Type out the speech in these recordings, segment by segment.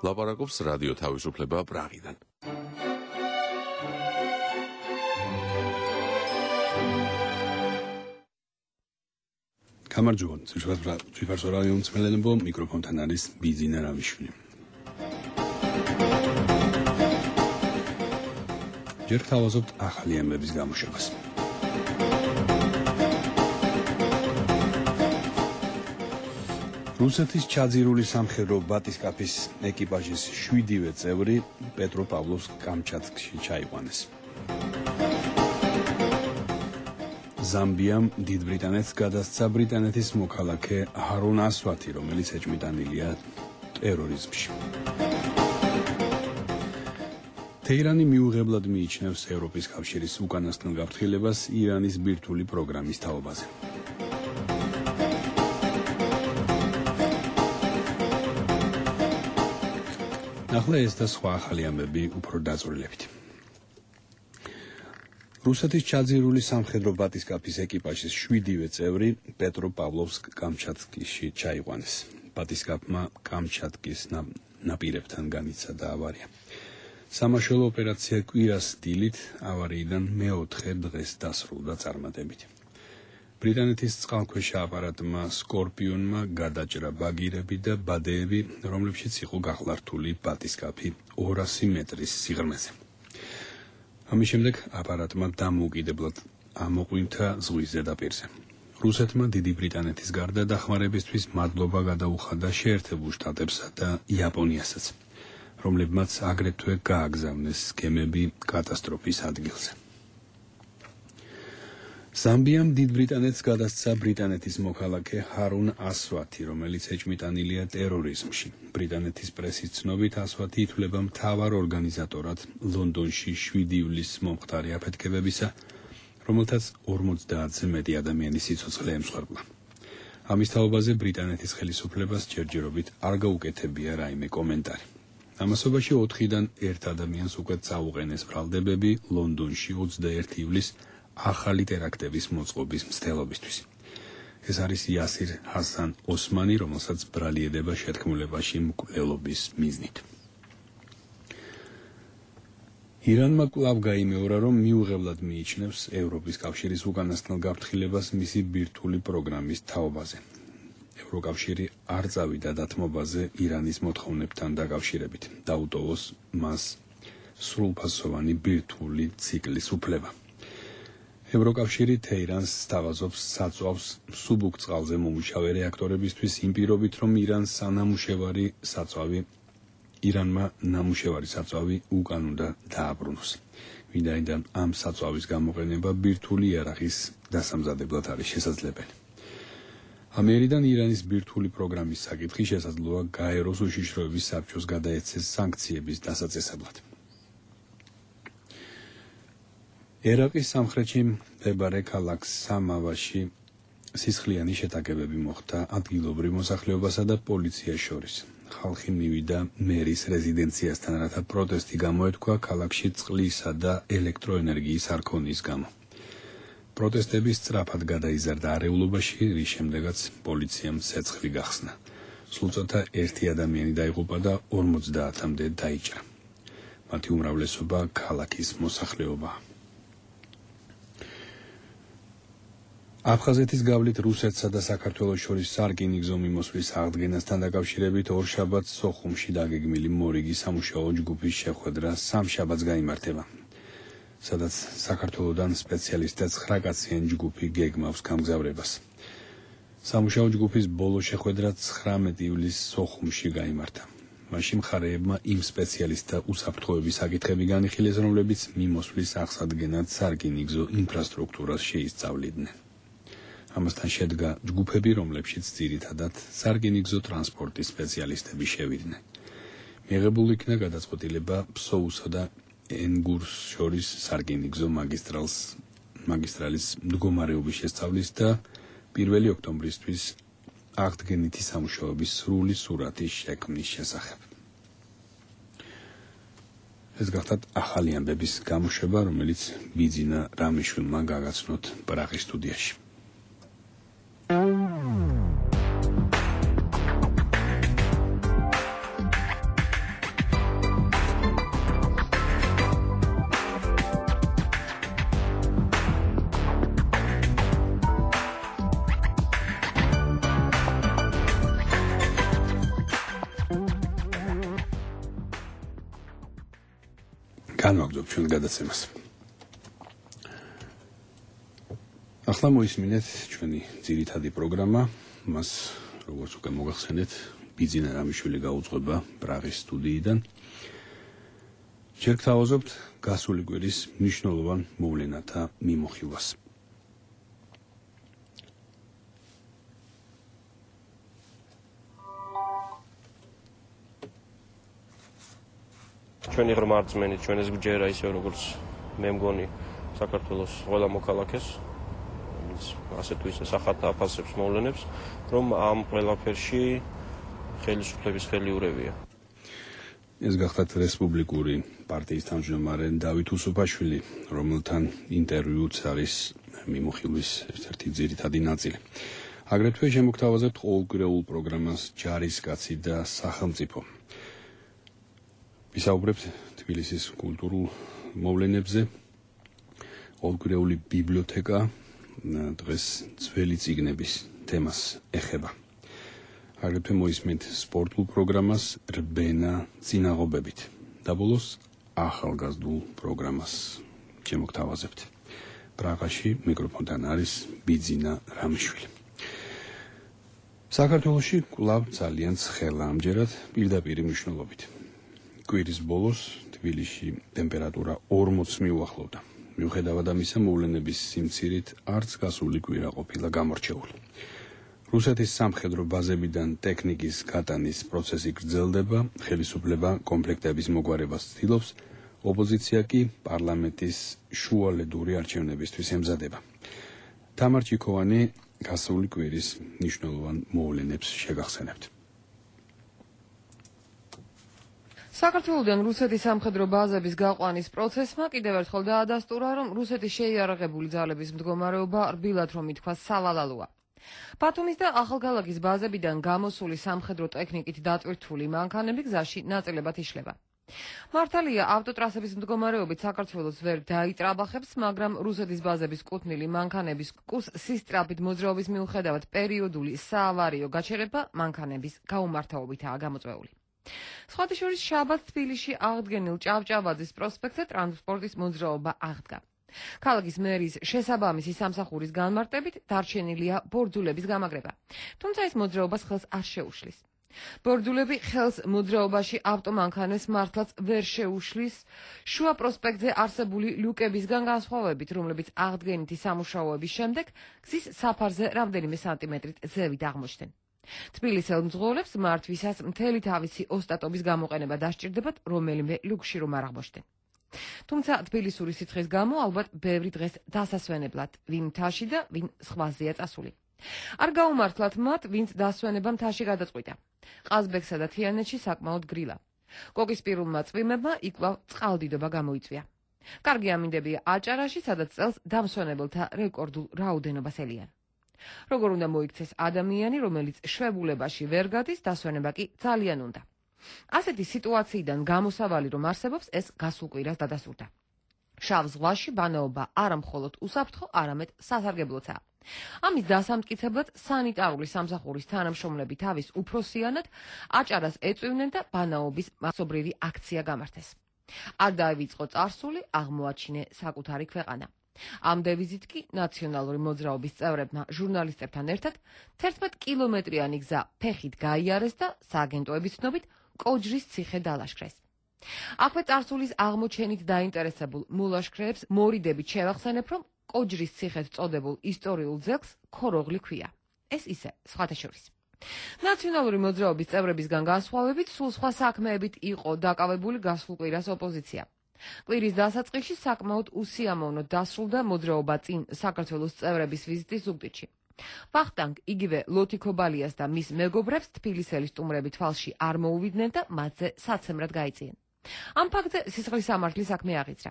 ლაპარაკობს რადიო თავისუფლება პრაღიდან. გამარჯობა, ციფარსო რადიო მსმენელებო, მიკროფონთან არის ბიძინა რამიშვილი. ჯერ თავაზობთ ახალი ამბების გამოშვებას. რუსეთის ჩაძირული სამხედრო ბატისკაფის ეკიპაჟის 7-ვე წევრი პეტროპავლოვსკ-კამჩატკში ჩაიყვანეს. ზამბიამ დიდ ბრიტანეთს გადასცა ბრიტანეთის მოქალაქე ჰარუნ ასვათი, რომელიც ეჭვმიტანილია ტერორიზმში. თეირანი მიუღებლად მიიჩნევს ევროპის კავშირის უკანასკნელ გაფრთხილებას ირანის ბირთვული პროგრამის თაობაზე. ახლა ეს და სხვა ახალი ამბები უფრო დაწვრილებით. რუსეთის ჩაძირული სამხედრო ბატისკაფის ეკიპაჟის 7-ვე წევრი პეტროპავლოვსკ-კამჩატკში ჩაიყვანეს. ბატისკაფმა კამჩატკის ნაპირებთან განიცადა ავარია. სამაშველო ოპერაცია კვირას დილით ავარიიდან მეოთხე დღეს დასრულდა წარმატებით. ბრიტანეთის წყალქვეშა აპარატმა სკორპიონმა გადაჭრა ბაგირები და ბადეები, რომლებშიც იყო გახლართული ბატისკაფი 200 მეტრის სიღრმეზე. ამის შემდეგ აპარატმა დამოუკიდებლად ამოყვინთა ზღვის ზედაპირზე. რუსეთმა დიდი ბრიტანეთის გარდა დახმარებისთვის მადლობა გადაუხადა შეერთებულ შტატებსა და იაპონიასაც, რომლებმაც აგრეთვე გააგზავნეს გემები კატასტროფის ადგილზე. ზამბიამ დიდ ბრიტანეთს გადასცა ბრიტანეთის მოქალაქე ჰარუნ ასვათი, რომელიც ეჭვმიტანილია ტერორიზმში. ბრიტანეთის პრესის ცნობით ასვათი ითვლება მთავარ ორგანიზატორად ლონდონში 7 ივლისს მომხდარი აფეთქებებისა, რომელთაც 50-ზე მეტი ადამიანის სიცოცხლე ემსხვერპლა. ამის თაობაზე ბრიტანეთის ხელისუფლებას ჯერჯერობით არ გაუკეთებია რაიმე კომენტარი. ამასობაში 4-დან 1 ადამიანს უკვე წაუყენეს ბრალდებები ლონდონში 21 ივლისს ახალი ტერაქტების მოწყობის მცდელობისთვის. ეს არის იასირ ჰასან ოსმანი, რომელსაც ბრალიერდება შეთქმულებაში მკვლელობის მიზნით. ირანმა კვლავ გაიმეორა, რომ მიუღებლად მიიჩნევს ევროპის კავშირის უკანასკნელ გაფრთხილებას მისი ბირთვული პროგრამის თაობაზე. ევროკავშირი არ წავიდა დათმობაზე ირანის მოთხოვნებთან დაკავშირებით, დაუტოვოს მას სრულფასოვანი ბირთვული ციკლის უფლება. ევროკავშირი თეირანს სთავაზობს საწვავს მსუბუქ წყალზე მომუშავე რეაქტორებისთვის იმ პირობით, რომ ირანმა ნამუშევარი საწვავი უკან უნდა დააბრუნოს, ვინაიდან ამ საწვავის გამოყენება ბირთვული იარაღის დასამზადებლად არის შესაძლებელი. ამერიდან ირანის ბირთვული პროგრამის საკითხი შესაძლოა გაეროს უშიშროების საბჭოს გადაეცეს სანქციების დასაწესებლად. ერაყის სამხრეთში მდებარე ქალაქ სამავაში სისხლიანი შეტაკებები მოხდა ადგილობრივ მოსახლეობასა და პოლიციას შორის. ხალხი მივიდა მერის რეზიდენციასთან, რათა პროტესტი გამოეთქვა ქალაქში წყლისა და ელექტროენერგიის არ ქონის გამო. პროტესტები სწრაფად გადაიზარდა არეულობაში, რის შემდეგაც პოლიციამ ცეცხლი გახსნა. სულწოთა 1 ადამიანი დაიღუპა და 50-მდე დაიჭრა. მათი უმრავლესობა ქალაქის მოსახლეობაა. აფხაზეთის გავლით რუსეთსა და საქართველოს შორის სარკინიგზო მიმოსვლის აღდგენასთან დაკავშირებით ორშაბათს სოხუმში დაგეგმილი მორიგი სამუშაო ჯგუფის შეხვედრა სამშაბათს გაიმართება, სადაც საქართველოდან სპეციალისტთა 9 კაციანი ჯგუფი გეგმავს გამგზავრებას. სამუშაო ჯგუფის ბოლო შეხვედრა 19 ივლისს სოხუმში გაიმართა. მაშინ მხარეებმა იმ სპეციალისტთა უსაფრთხოების საკითხები განიხილეს, რომლებიც მიმოსვლის აღსადგენად სარკინიგზო ინფრასტრუქტურას შეისწავლიდნენ. ამასთან შედგა ჯგუფები, რომლებშიც ძირითადად სარკინიგზო ტრანსპორტის სპეციალისტები შევიდნენ. მიღებულ იქნა გადაწყვეტილება ფსოუსა და ენგურს შორის სარკინიგზო მაგისტრალის მდგომარეობის შესწავლის და 1 ოქტომბრისთვის აღდგენითი სამუშაოების სრული სურათის შექმნის შესახებ. ეს გახლავთ ახალი ამბების გამოშვება, რომელიც ბიძინა რამიშვილმა გაგაცნოთ პრაღის სტუდიაში. განვაგრძობ ჩვენ გადაცემას. ახლა მოისმინეთ ჩვენი ძირითადი პროგრამა, მას როგორც უკვე მოგახსენეთ, ბიძინა რამიშვილი გაუძღვება პრაღის სტუდიიდან. ჯერ გთავაზობთ გასული კვირის მნიშვნელოვან მოვლენათა მიმოხილვას. ჩვენი ღრმარწმენი, ჩვენს გჯერა ისე როგორც მე მგონი საქართველოს ყველა მოქალაქეს, ასე თუ ისე სახართა აფასებს მოვლენებს, რომ ამ ყველაფერში ხელისუფლების ხელიურევია. ეს გახლავთ რესპუბლიკური პარტიის თავმჯდომარე დავით უსუფაშვილი, რომელთან ინტერვიუც არის მიმოხილვის ერთ-ერთი ძირითადი ნაწილი. აგრეთვე შემოგთავაზებთ ყოველკვირეულ პროგრამას ჯარისკაცი და სახელმწიფო. ვისაუბრებთ თბილისის კულტურულ მოვლენებზე. ყოველკვირეული ბიბლიოთეკა დღეს ძველი წიგნების თემას ეხება. აგრეთვე მოისმენთ სპორტულ პროგრამას რბენა წინაღობებით და ბოლოს ახალგაზრდულ პროგრამას შემოგთავაზებთ. პრაღაში მიკროფონთან არის ბიძინა რამიშვილი. საქართველოში კვლავ ძალიან ცხელა ამჯერად პირდაპირი მნიშვნელობით. კვირის ბოლოს თბილისში ტემპერატურა 40 მიუახლოვდა. მიუხედავად ამისა, მოვლენების სიმცირით არც გასული კვირა ყოფილა გამორჩეული. რუსეთის სამხედრო ბაზებიდან ტექნიკის გატანის პროცესი გრძელდება, ხელისუფლება კომპლექტების მოგვარებას ცდილობს, ოპოზიცია კი პარლამენტის შუალედური არჩევნებისთვის ემზადება. თამარ ჩიქოვანი გასული კვირის მნიშვნელოვან მოვლენებს შეგახსენებთ. საქართველოდან რუსეთის სამხედრო ბაზების გაყვანის პროცესმა კიდევ ერთხელ დაადასტურა, რომ რუსეთის შეიარაღებული ძალების მდგომარეობა რბილად რომ ითქვას სავალალოა. ბათუმის და ახალქალაქის ბაზებიდან გამოსული სამხედრო ტექნიკით დატვირთული მანქანები გზაში ნაწილებად იშლება. მართალია, ავტოტრასების მდგომარეობით საქართველოს ვერ დაიტრაბახებს, მაგრამ რუსეთის ბაზების კუთვნილი მანქანების კურსის სწრაფით მოძრაობის მიუხედავად პერიოდული საავარიო გაჩერება მანქანების გაუმართავობითაა გამოწვეული. სხვათა შორის შაბათს თბილისში აღდგენილ ჭავჭავაძის პროსპექტზე ტრანსპორტის მოძრაობა აღდგა. ქალაქის მერის შესაბამისი სამსახურის განმარტებით დარჩენილია ბორდულების გამაგრება, თუმცა ეს მოძრაობას ხელს არ შეუშლის. ბორდულები ხელს მოძრაობაში ავტომანქანებს მართლაც ვერ შეუშლის, შუა პროსპექტზე არსებული ლუკებისგან განსხვავებით, რომლებიც აღდგენითი სამუშაოების შემდეგ გზის საფარზე რამდენიმე სანტიმეტრით ზევით აღმოჩნდნენ. თბილისელ მძღოლებს მართვისას მთელი თავისი ოსტატობის გამოყენება დასჭირდებათ, რომელიმე ლუკში რომ არ აღმოჩნდნენ. თუმცა თბილისური სიცხის გამო ალბათ ბევრი დღეს დასასვენებლად, ვინ მთაში და ვინ სხვაზეა წასული. არ გაუმართლათ მათ, ვინც დასვენება მთაში გადაწყვიტა. ყაზბეგსა და თიანეთში საკმაოდ გრილა. კოკისპირულმა წვიმებმა იკლავ წყალდიდობა გამოიწვია. კარგი ამინდებია აჭარაში, სადაც წელს დამსვენებელთა რეკორდულ რაოდენობას ელიან. როგორ უნდა მოიქცეს ადამიანი, რომელიც შვებულებაში ვერ გადის, დასვენება კი ძალიან უნდა. ასეთი სიტუაციიდან გამოსავალი რომ არსებობს, ეს გასულ კვირას დადასტურდა. შავ ზღვაში ბანაობა არა მხოლოდ უსაფრთხო, არამედ სასარგებლოცაა. ამის დასამტკიცებლად სანიტარული სამსახურის თანამშრომლები თავის უფროსიანად აჭარას ეწვივნენ და ბანაობის მასობრივი აქცია გამართეს. არ დაივიწყო წარსული, აღმოაჩინე საკუთარი ქვეყანა. ამ დევიზით კი ნაციონალური მოძრაობის წევრებმა ჟურნალისტებთან ერთად 11 კილომეტრიანი გზა ფეხით გაიარეს და სააგენტოების ცნობით კოჯრის ციხე დალაშქრეს. აქვე წარსულის აღმოჩენით დაინტერესებულ მოლაშქრეებს მორიდებით შევახსენებ, რომ კოჯრის ციხეთ წოდებულ ისტორიულ ძეგლს ქოროღლი ქვია. ეს ისე, სხვათა შორის. ნაციონალური მოძრაობის წევრებისგან განსხვავებით, სულ სხვა საქმეებით იყო დაკავებული გასულ კვირას ოპოზიცია. კვირის დასაწყისში საკმაოდ უსიამოვნოდ დასრულდა მოძრაობა წინ საქართველოს წევრების ვიზიტი ზუგდიდში. ვახტანგ იგივე ლოთიქობალიას და მის მეგობრებს თბილისელი სტუმრები თვალში არ მოუვიდნენ და მათზე საცემრად გაიწიენ. ამ ფაქტზე სისხლის სამართლის საქმე აღიძრა.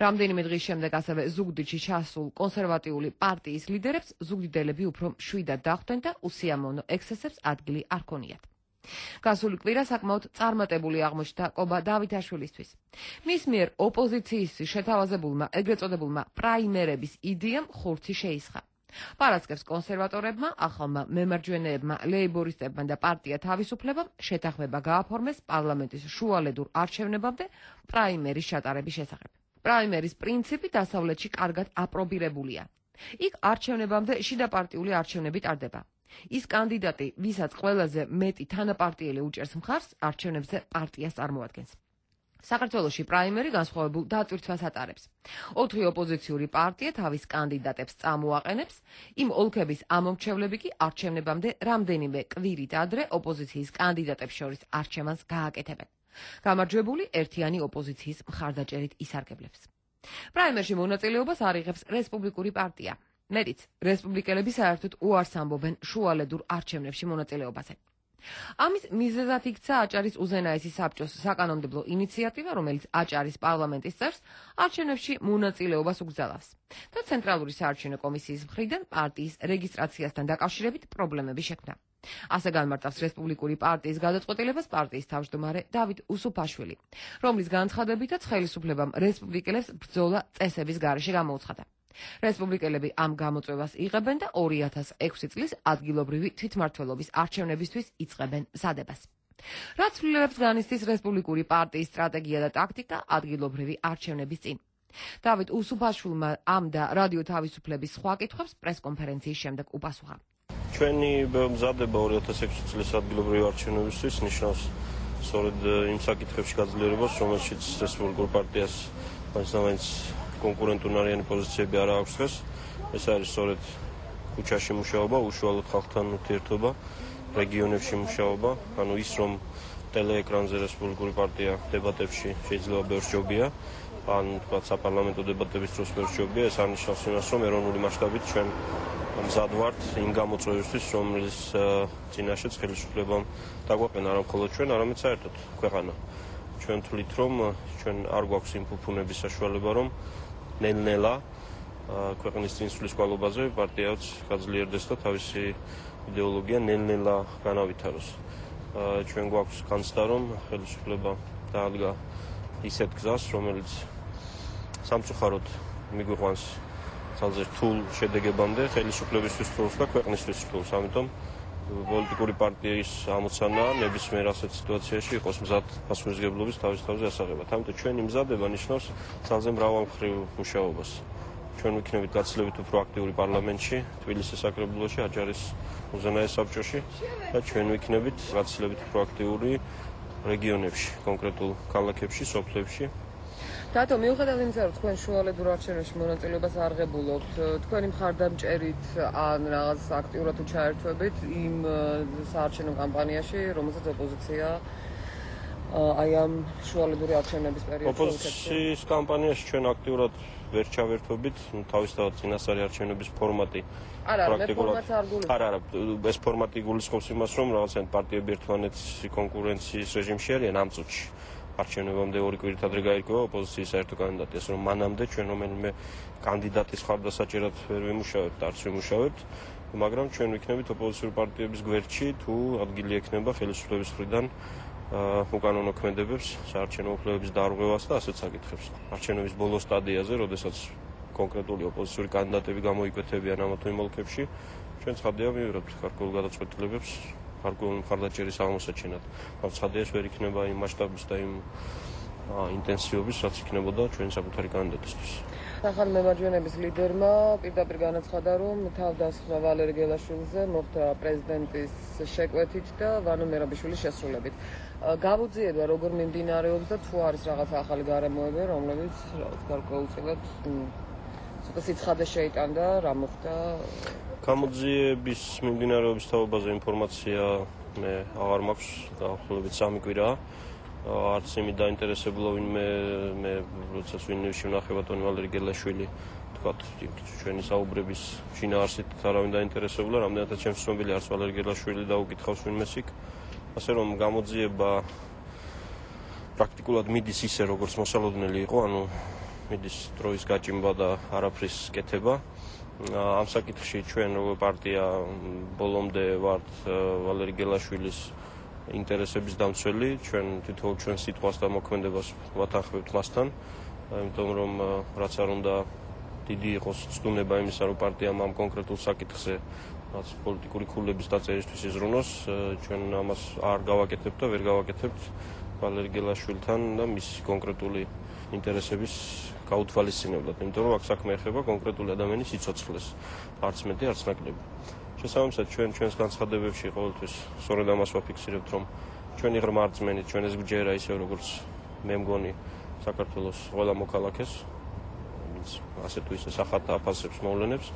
რამდენიმე დღის შემდეგ ასევე ზუგდიდში ჩასულ კონსერვატიული პარტიის ლიდერებს ზუგდიდელები უფრო მშვიდად დახვდნენ და უსიამოვნო ექსცესებს ადგილი არ ქონიათ. გასული კვირა საკმაოდ წარმატებული აღმოჩნდა კობა დავითაშვილისთვის. მის მიერ ოპოზიციის შეთავაზებულმა ეგრეთ წოდებულმა პრაიმერების იდეამ ხურცი შეისხა. პარასკევს კონსერვატორებმა, ახალმა მემარჯვენეებმა, ლეიბორისტებმა და პარტია თავისუფლებამ შეთანხმება გააფორმეს პარლამენტის შუალედურ არჩევნებამდე პრაიმერის ჩატარების შესახებ. პრაიმერის პრინციპი დასავლეთში კარგად აპრობირებულია. იქ არჩევნებამდე შიდაპარტიული არჩევნები ტარდება. ის კანდიდატი, ვისაც ყველაზე მეტი თანაპარტიელი უჭერს მხარს, არჩევნებზე პარტიას წარმოადგენს. საქართველოში პრაიმერი განსხვავებულ დატვირთვას ატარებს. 4 ოპოზიციური პარტია თავის კანდიდატებს წამოაყენებს, იმ ოლქების ამომრჩევლები კი არჩევნებამდე რამდენიმე კვირით ადრე ოპოზიციის კანდიდატებს შორის არჩევანს გააკეთებენ. გამარჯვებული ერთიანი ოპოზიციის მხარდაჭერით ისარგებლებს. პრაიმერში მონაწილეობას არ იღებს რესპუბლიკური პარტია. მეტიც, რესპუბლიკელები საერთოდ უარს ამბობენ შუალედურ არჩევნებში მონაწილეობაზე. ამის მიზეზად იქცა აჭარის უზენაესი საბჭოს საკანონმდებლო ინიციატივა, რომელიც აჭარის პარლამენტის წევრს არჩევნებში მონაწილეობას უგზავნავს და ცენტრალური საარჩევნო კომისიის მხრიდან პარტიის რეგისტრაციასთან დაკავშირებით პრობლემები შექმნა. ასე განმარტავს რესპუბლიკური პარტიის გადაწყვეტილებას პარტიის თავმჯდომარე დავით უსუფაშვილი, რომლის განცხადებითაც ხელისუფლებამ რესპუბლიკელებს ბრძოლა წესების გარეშე გამოუცხადა. რესპუბლიკელები ამ გამოწვევას იღებენ და 2006 წლის ადგილობრივი თვითმმართველობის არჩევნებისთვის იწყებენ მზადებას. რაც ცვლილებებს განიცდის რესპუბლიკური პარტიის სტრატეგია და ტაქტიკა ადგილობრივი არჩევნების წინ. დავით უსუფაშვილმა ამ და რადიო თავისუფლების სხვა კითხვებს პრესკონფერენციის შემდეგ უპასუხა. ჩვენი მზადება 2006 წლის ადგილობრივი არჩევნებისთვის ნიშნავს სწორედ იმ საკითხებში გაძლიერებას, რომელშიც რესპუბლიკურ პარტიას მაინც კონკურენტუნარიანი პოზიციები არ აქვს დღეს. ეს არის სწორედ ქუჩაში მუშაობა, უშუალოდ ხალხთან ურთიერთობა, რეგიონებში მუშაობა, ანუ ის რომ ტელეეკრანზე რესპუბლიკური პარტია დებატებში შეიძლება ბევრს ჯობია, ან თქვათ საპარლამენტო დებატების დროს ბევრს ჯობია, ეს არნიშნავს იმას, რომ ეროვნული მასშტაბით ჩვენ მზად ვართ იმ გამოწვევისთვის, რომლის წინაშეც ხელისუფლებამ დაგვაყენა არა მხოლოდ ჩვენ, არამედ საერთოდ ქვეყანა. ჩვენ თვლით, რომ ჩვენ არ გვაქვს იმ ფუფუნების საშუალება, რომ ნელ-ნელა ქვეყნის წინსვლის კვალობაზე პარტიაც გაძლიერდეს და თავისი იდეოლოგია ნელ-ნელა განავითაროს. ჩვენ გვაქვს განცდა, რომ ხელისუფლება დაადგა ისეთ გზას, რომელიც სამწუხაროდ მიგვიყვანს ძალზე რთულ შედეგებამდე ხელისუფლებისთვის რთულს და ქვეყნისთვის რთულს. ამიტომ პოლიტიკური პარტიის ამოცანა ნებისმიერ ასეთ სიტუაციაში იყოს მზად პასუხისმგებლობის თავის თავზე ასაღებად. ამიტომ ჩვენი მზადება ნიშნავს ძალზე მრავალმხრივ მუშაობას. ჩვენ ვიქნებით გაცილებით უფრო აქტიური პარლამენტში, თბილისის საკრებულოში, აჭარის უზენაეს საბჭოში და ჩვენ ვიქნებით გაცილებით უფრო აქტიური რეგიონებში, კონკრეტულ ქალაქებში, სოფლებში. რატომ მიუხედავად იმისა, რომ თქვენ შუალედურ არჩევნებში მონაწილეობას არ ღებულობთ, თქვენი მხარდამჭერით ან რაღაც აქტიურად ჩაერთვებით იმ საარჩევნო კამპანიაში, რომელსაც ოპოზიცია აი ამ შუალედური არჩევნების პერიოდში ოპოზიციის კამპანიაში ჩვენ აქტიურად ვერ ჩავერთვებით, თავისთავად წინასწარი არჩევნების ფორმატი პრაქტიკულად არა, ეს ფორმატი გულისხმობს იმას, რომ რაღაცა პარტიები ერთმანეთის კონკურენციის რეჟიმში არიან ამ წუთში. არჩევნებამდე 2 კვირით ადრე გაირკვევა ოპოზიციის საერთო კანდიდატი, ასე რომ მანამდე ჩვენ რომელიმე კანდიდატის მხარდასაჭერად ვერ ვიმუშავებთ, არც ვიმუშავებთ, მაგრამ ჩვენ ვიქნებით ოპოზიციური პარტიების გვერდში, თუ ადგილი ექნება ხელისუფლების მხრიდან უკანონო ქმედებებს, საარჩევნო უფლებების დარღვევას და ასეთ საკითხებს. არჩევნების ბოლო სტადიაზე, როდესაც კონკრეტული ოპოზიციური კანდიდატები გამოიკვეთებიან ამ თუ იმ ოლქებში, ჩვენ ცხადია მივიღებთ გარკვეულ გადაწყვეტილებებს გარკვეული მხარდაჭერის აღმოსაჩენად. მაგრამ ცხადია ეს ვერ იქნება იმ მასშტაბის და იმ ინტენსივობის, რაც იქნებოდა ჩვენი საკუთარი კანდიდატისთვის. ახალ მემარჯვენეების ლიდერმა პირდაპირ განაცხადა, რომ თავდასხმა ვალერი გელაშვილიძე მოხდა პრეზიდენტის შეკვეთით და ვანო მერაბიშვილის შესრულებით. გამოძიება როგორ მიმდინარეობს და თუ არის რაღაც ახალი გარემოები, რომლებიც გარკვეულწილად ცოტა სიცხადე შეიტანდა, რა მოხდა? გამოძიების მიმდინარეობის თაობაზე ინფორმაცია მე აღარ მაქვს, დაახლოებით 3 კვირაა. არც იმით დაინტერესებულა ვინმე მე როდესაც ვინმე ვნახე ბატონი ვალერი გელაშვილი, თქვათ, ჩვენი საუბრების შინაარსით არავინ დაინტერესებულა, რამდენადაც ჩემს ცნობილი არც ვალერი გელაშვილი დაუკითხავს ვინმეს იქ. ასე რომ გამოძიება პრაქტიკულად მიდის ისე, როგორც მოსალოდნელი იყო, ანუ მიდის დროის გაჭიმვა და არაფრის კეთება. ამ საკითხში ჩვენ როგორც პარტია ბოლომდე ვართ ვალერი გელაშვილის ინტერესების დამცველი, ჩვენ თითოეულ ჩვენ სიტყვას და მოქმედებას ვათანხმებთ მასთან, იმიტომ რომ რაც არ უნდა დიდი იყოს ცდუნება იმისა, რომ პარტიამ ამ კონკრეტულ საკითხზე რაც პოლიტიკური ქულების დაწერისთვის იზრუნოს, ჩვენ ამას არ გავაკეთებთ და ვერ გავაკეთებთ ვალერი გელაშვილთან და მის კონკრეტული ინტერესების გაუთვალისწინებლად, იმიტომ რომ აქ საქმე ეხება კონკრეტული ადამიანის სიცოცხლეს, არც მეტი, არც ნაკლები. შესაბამისად, ჩვენს განცხადებებში ყოველთვის სწორედ ამას ვაფიქსირებთ, რომ ჩვენი ღრმა რწმენით, ჩვენ ეს გვჯერა ისე როგორც მე მგონი საქართველოს ყველა მოქალაქეს, ვინც ასე თუ ისე სახათ აფასებს მოვლენებს,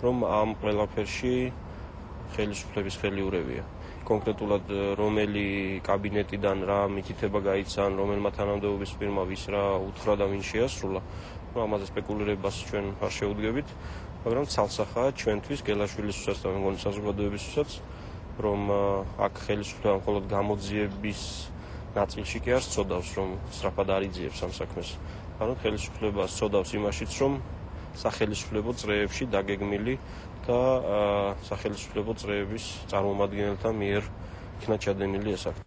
რომ ამ ყველაფერში ხელისუფლების ხელი ურევია. კონკრეტულად რომელი კაბინეტიდან რა მითითება გაიცან, რომელმა თანამდებობის პირმა ვის რა უთხრა და ვინ შეასრულა, ამაზე სპეკულირებას ჩვენ არ შევუდგებით, მაგრამ ცალსახაა ჩვენთვის გელაშვილისთვისაც და მე მგონი საზოგადოებისთვისაც, რომ აქ ხელისუფლება მხოლოდ გამოძიების ნაწილში კი არ სწოდავს, რომ სწრაფად არ იძიებს ამ საქმეს. ანუ ხელისუფლება სწოდავს იმაშიც, რომ სახელისუფლებო წრეებში დაგეგმილი და სახელისუფლებო წრეების წარმომადგენელთა მიერ იქნა ჩადენილი ეს აქტი.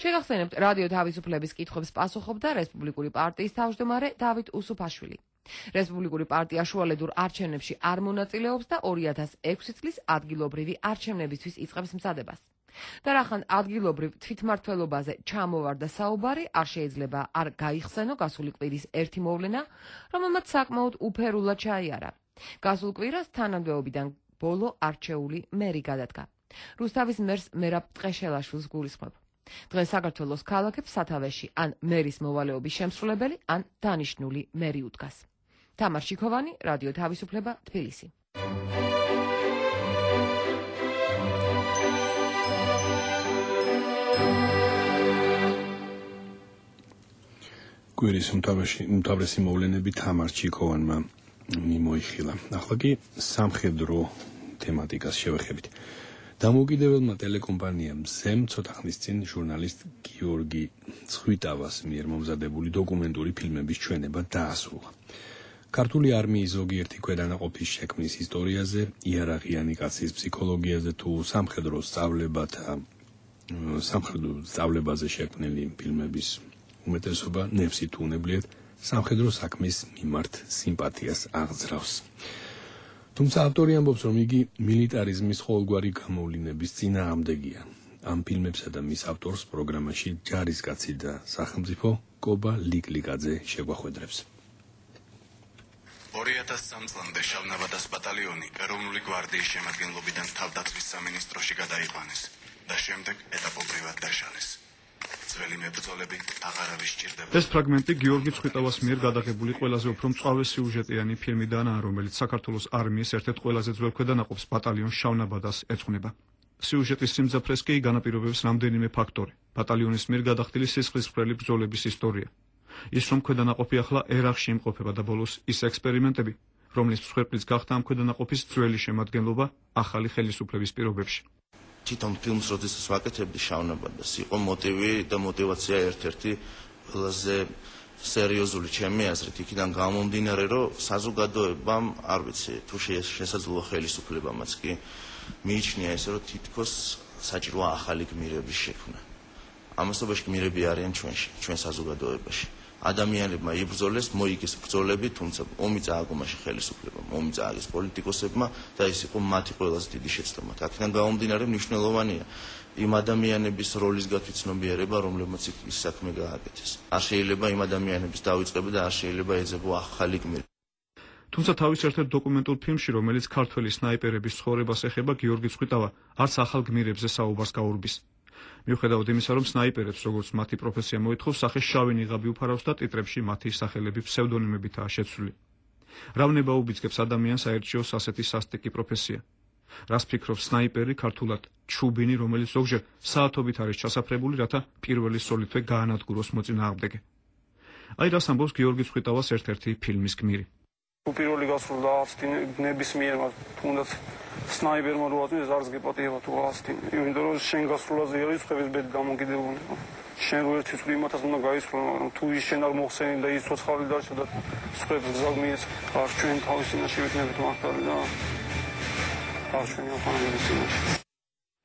შეგახსენებთ, რადიო თავისუფლების კითხვებს პასუხობდა რესპუბლიკური პარტიის თავმჯდომარე დავით უსუფაშვილი. რესპუბლიკური პარტია შუალედურ არჩევნებში არ მონაწილეობს და 2006 წლის ადგილობრივი არჩევნებისთვის იწყებს მზადებას. და რახან ადგილობრივ თვითმმართველობაზე ჩამოვარდა საუბარი, არ შეიძლება არ გაიხსენო გასული კვირის ერთი მოვლენა, რომელმაც საკმაოდ უფერულად ჩაიარა. გასულ კვირას თანამდებობიდან ბოლო არჩეული მერი გადადგა. რუსთავის მერს მერაბ ტყეშელაშვილს გულისხმობ. დღეს საქართველოს ქალაქებს სათავეში ან მერის მოვალეობის შემსრულებელი, ან დანიშნული მერი უდგას. თამარ შიქოვანი, რადიო თავისუფლება, თბილისი. კვირის უმთავრესი მოვლენები თამარ ჩიქოვანმა მიმოიხილა. ახლა კი სამხედრო თემატიკას შევეხებით. დამოუკიდებელმა ტელეკომპანიამ ზემ ცოტა ხნის წინ ჟურნალისტ გიორგი ცხვიტავას მიერ მომზადებული დოკუმენტური ფილმების ჩვენება დაასრულა. ქართული არმიის ზოგიერთი ქვედანაყოფის შექმნის ისტორიაზე, იარაღიანი კაცის ფსიქოლოგიაზე თუ სამხედრო სწავლებაზე შექმნილი ფილმების უმეტესობა ნებსით უნებლიეთ სამხედრო საქმის მიმართ სიმპათიას აღძრავს. თუმცა ავტორი ამბობს, რომ იგი მილიტარიზმის ყოველგვარი გამოვლინების წინააღმდეგია. ამ ფილმებსა და მის ავტორს პროგრამაში ჯარისკაცი და სახელმწიფო კობა ლიკლიკაძე შეგვახვედრებს. 2003 წლამდე შავნაბადას ბატალიონი ეროვნული გვარდიის შემადგენლობიდან თავდაცვის სამინისტროში გადაიყვანეს და შემდეგ ეტაპობრივად დაშალეს. ძველი მებრძოლები აღარ არის სჭირდება. ეს ფრაგმენტი გიორგი ცხვიტავას მიერ გადაღებული ყველაზე უფრო მწვავე სიუჟეტიანი ფილმიდანაა, რომელიც საქართველოს არმიის ერთ-ერთ ყველაზე ძველ ქვედანაყოფს ბატალიონ შავნაბადას ეძღვნება. სიუჟეტის სიმძაფრეს კი განაპირობებს რამდენიმე ფაქტორი. ბატალიონის მიერ გადახდილი სისხლისმღვრელი ბრძოლების ისტორია. ის რომ ქვედანაყოფი ახლა ერახში იმყოფება და ბოლოს ის ექსპერიმენტები, რომლის მსხვერპლიც გახდა ამ ქვედანაყოფის ძველი შემადგენლობა ახალი ხელისუფლების პირობებში. თვითონ ფილმს როდესაც ვაკეთებდი შავნაბადას, იყო მოტივი და мотиваცია ერთ-ერთი ყველაზე სერიოზული ჩემი აზრით, იქიდან გამომდინარე, რომ საზოგადოებამ, არ ვიცი, თუ შესაძლოა ხელისუფლებამაც კი მიიჩნია ესე, რომ თითქოს საჭიროა ახალი გმირების შექმნა. ამასობაში გმირები არიან ჩვენში, ჩვენ საზოგადოებაში. ადამიანებმა იბრძოლეს, მოიგეს ბრძოლები, თუმცა ომი წააგო მაშინ ხელისუფლებამ, ომი წააგეს პოლიტიკოსებმა და ეს იყო მათი ყველაზე დიდი შეცდომა. აქედან გამომდინარე მნიშვნელოვანია იმ ადამიანების როლის გათვითცნობიერება, რომლებმაც ის საქმე გააკეთეს. არ შეიძლება იმ ადამიანების დავიწყება და არ შეიძლება ეძებო ახალი გმირი. თუმცა თავის ერთ-ერთ დოკუმენტურ ფილმში, რომელიც ქართველი სნაიპერების ცხოვრებას ეხება, გიორგი ცხვიტავა არც ახალ გმირებზე საუბარს გაურბის. მიუხედავად იმისა, რომ სნაიპერებს, როგორც მათი პროფესია მოითხოვს, სახე შავი ნიღაბი უფარავს და ტიტრებში მათი სახელები ფსევდონიმებითაა შეცვლილი. რავნება უბიძგებს ადამიანს აერჩიოს ასეთი სასტიკი პროფესია. რას ფიქრობს სნაიპერი, ქართულად ჩუბინი, რომელიც ზოგჯერ საათობით არის ჩასაფრებული, რათა პირველი სოლითვე გაანადგუროს მოწინააღმდეგე. აი რას ამბობს გიორგი ცხვიტავას ერთ-ერთი ფილმის გმირი. პირველი გასრულდა ნებისმიერ თუნდაც სნაიპერმა რო აწვიეს არც გეპატიება თუ ასტინ, იმიტომ რომ შენ გასრულაზე არის ხების ბედი დამოკიდებული. შენ რო ერთი წვი იმათაც უნდა გაისრულო, მაგრამ თუ ის შენ არ მოხსენი და ის ცოცხალი დარჩა და ხებს გზავნიეს, არ ჩვენ თავის წინაშე ვიქნებით მართალი და არ ჩვენი ახალი წინაშე.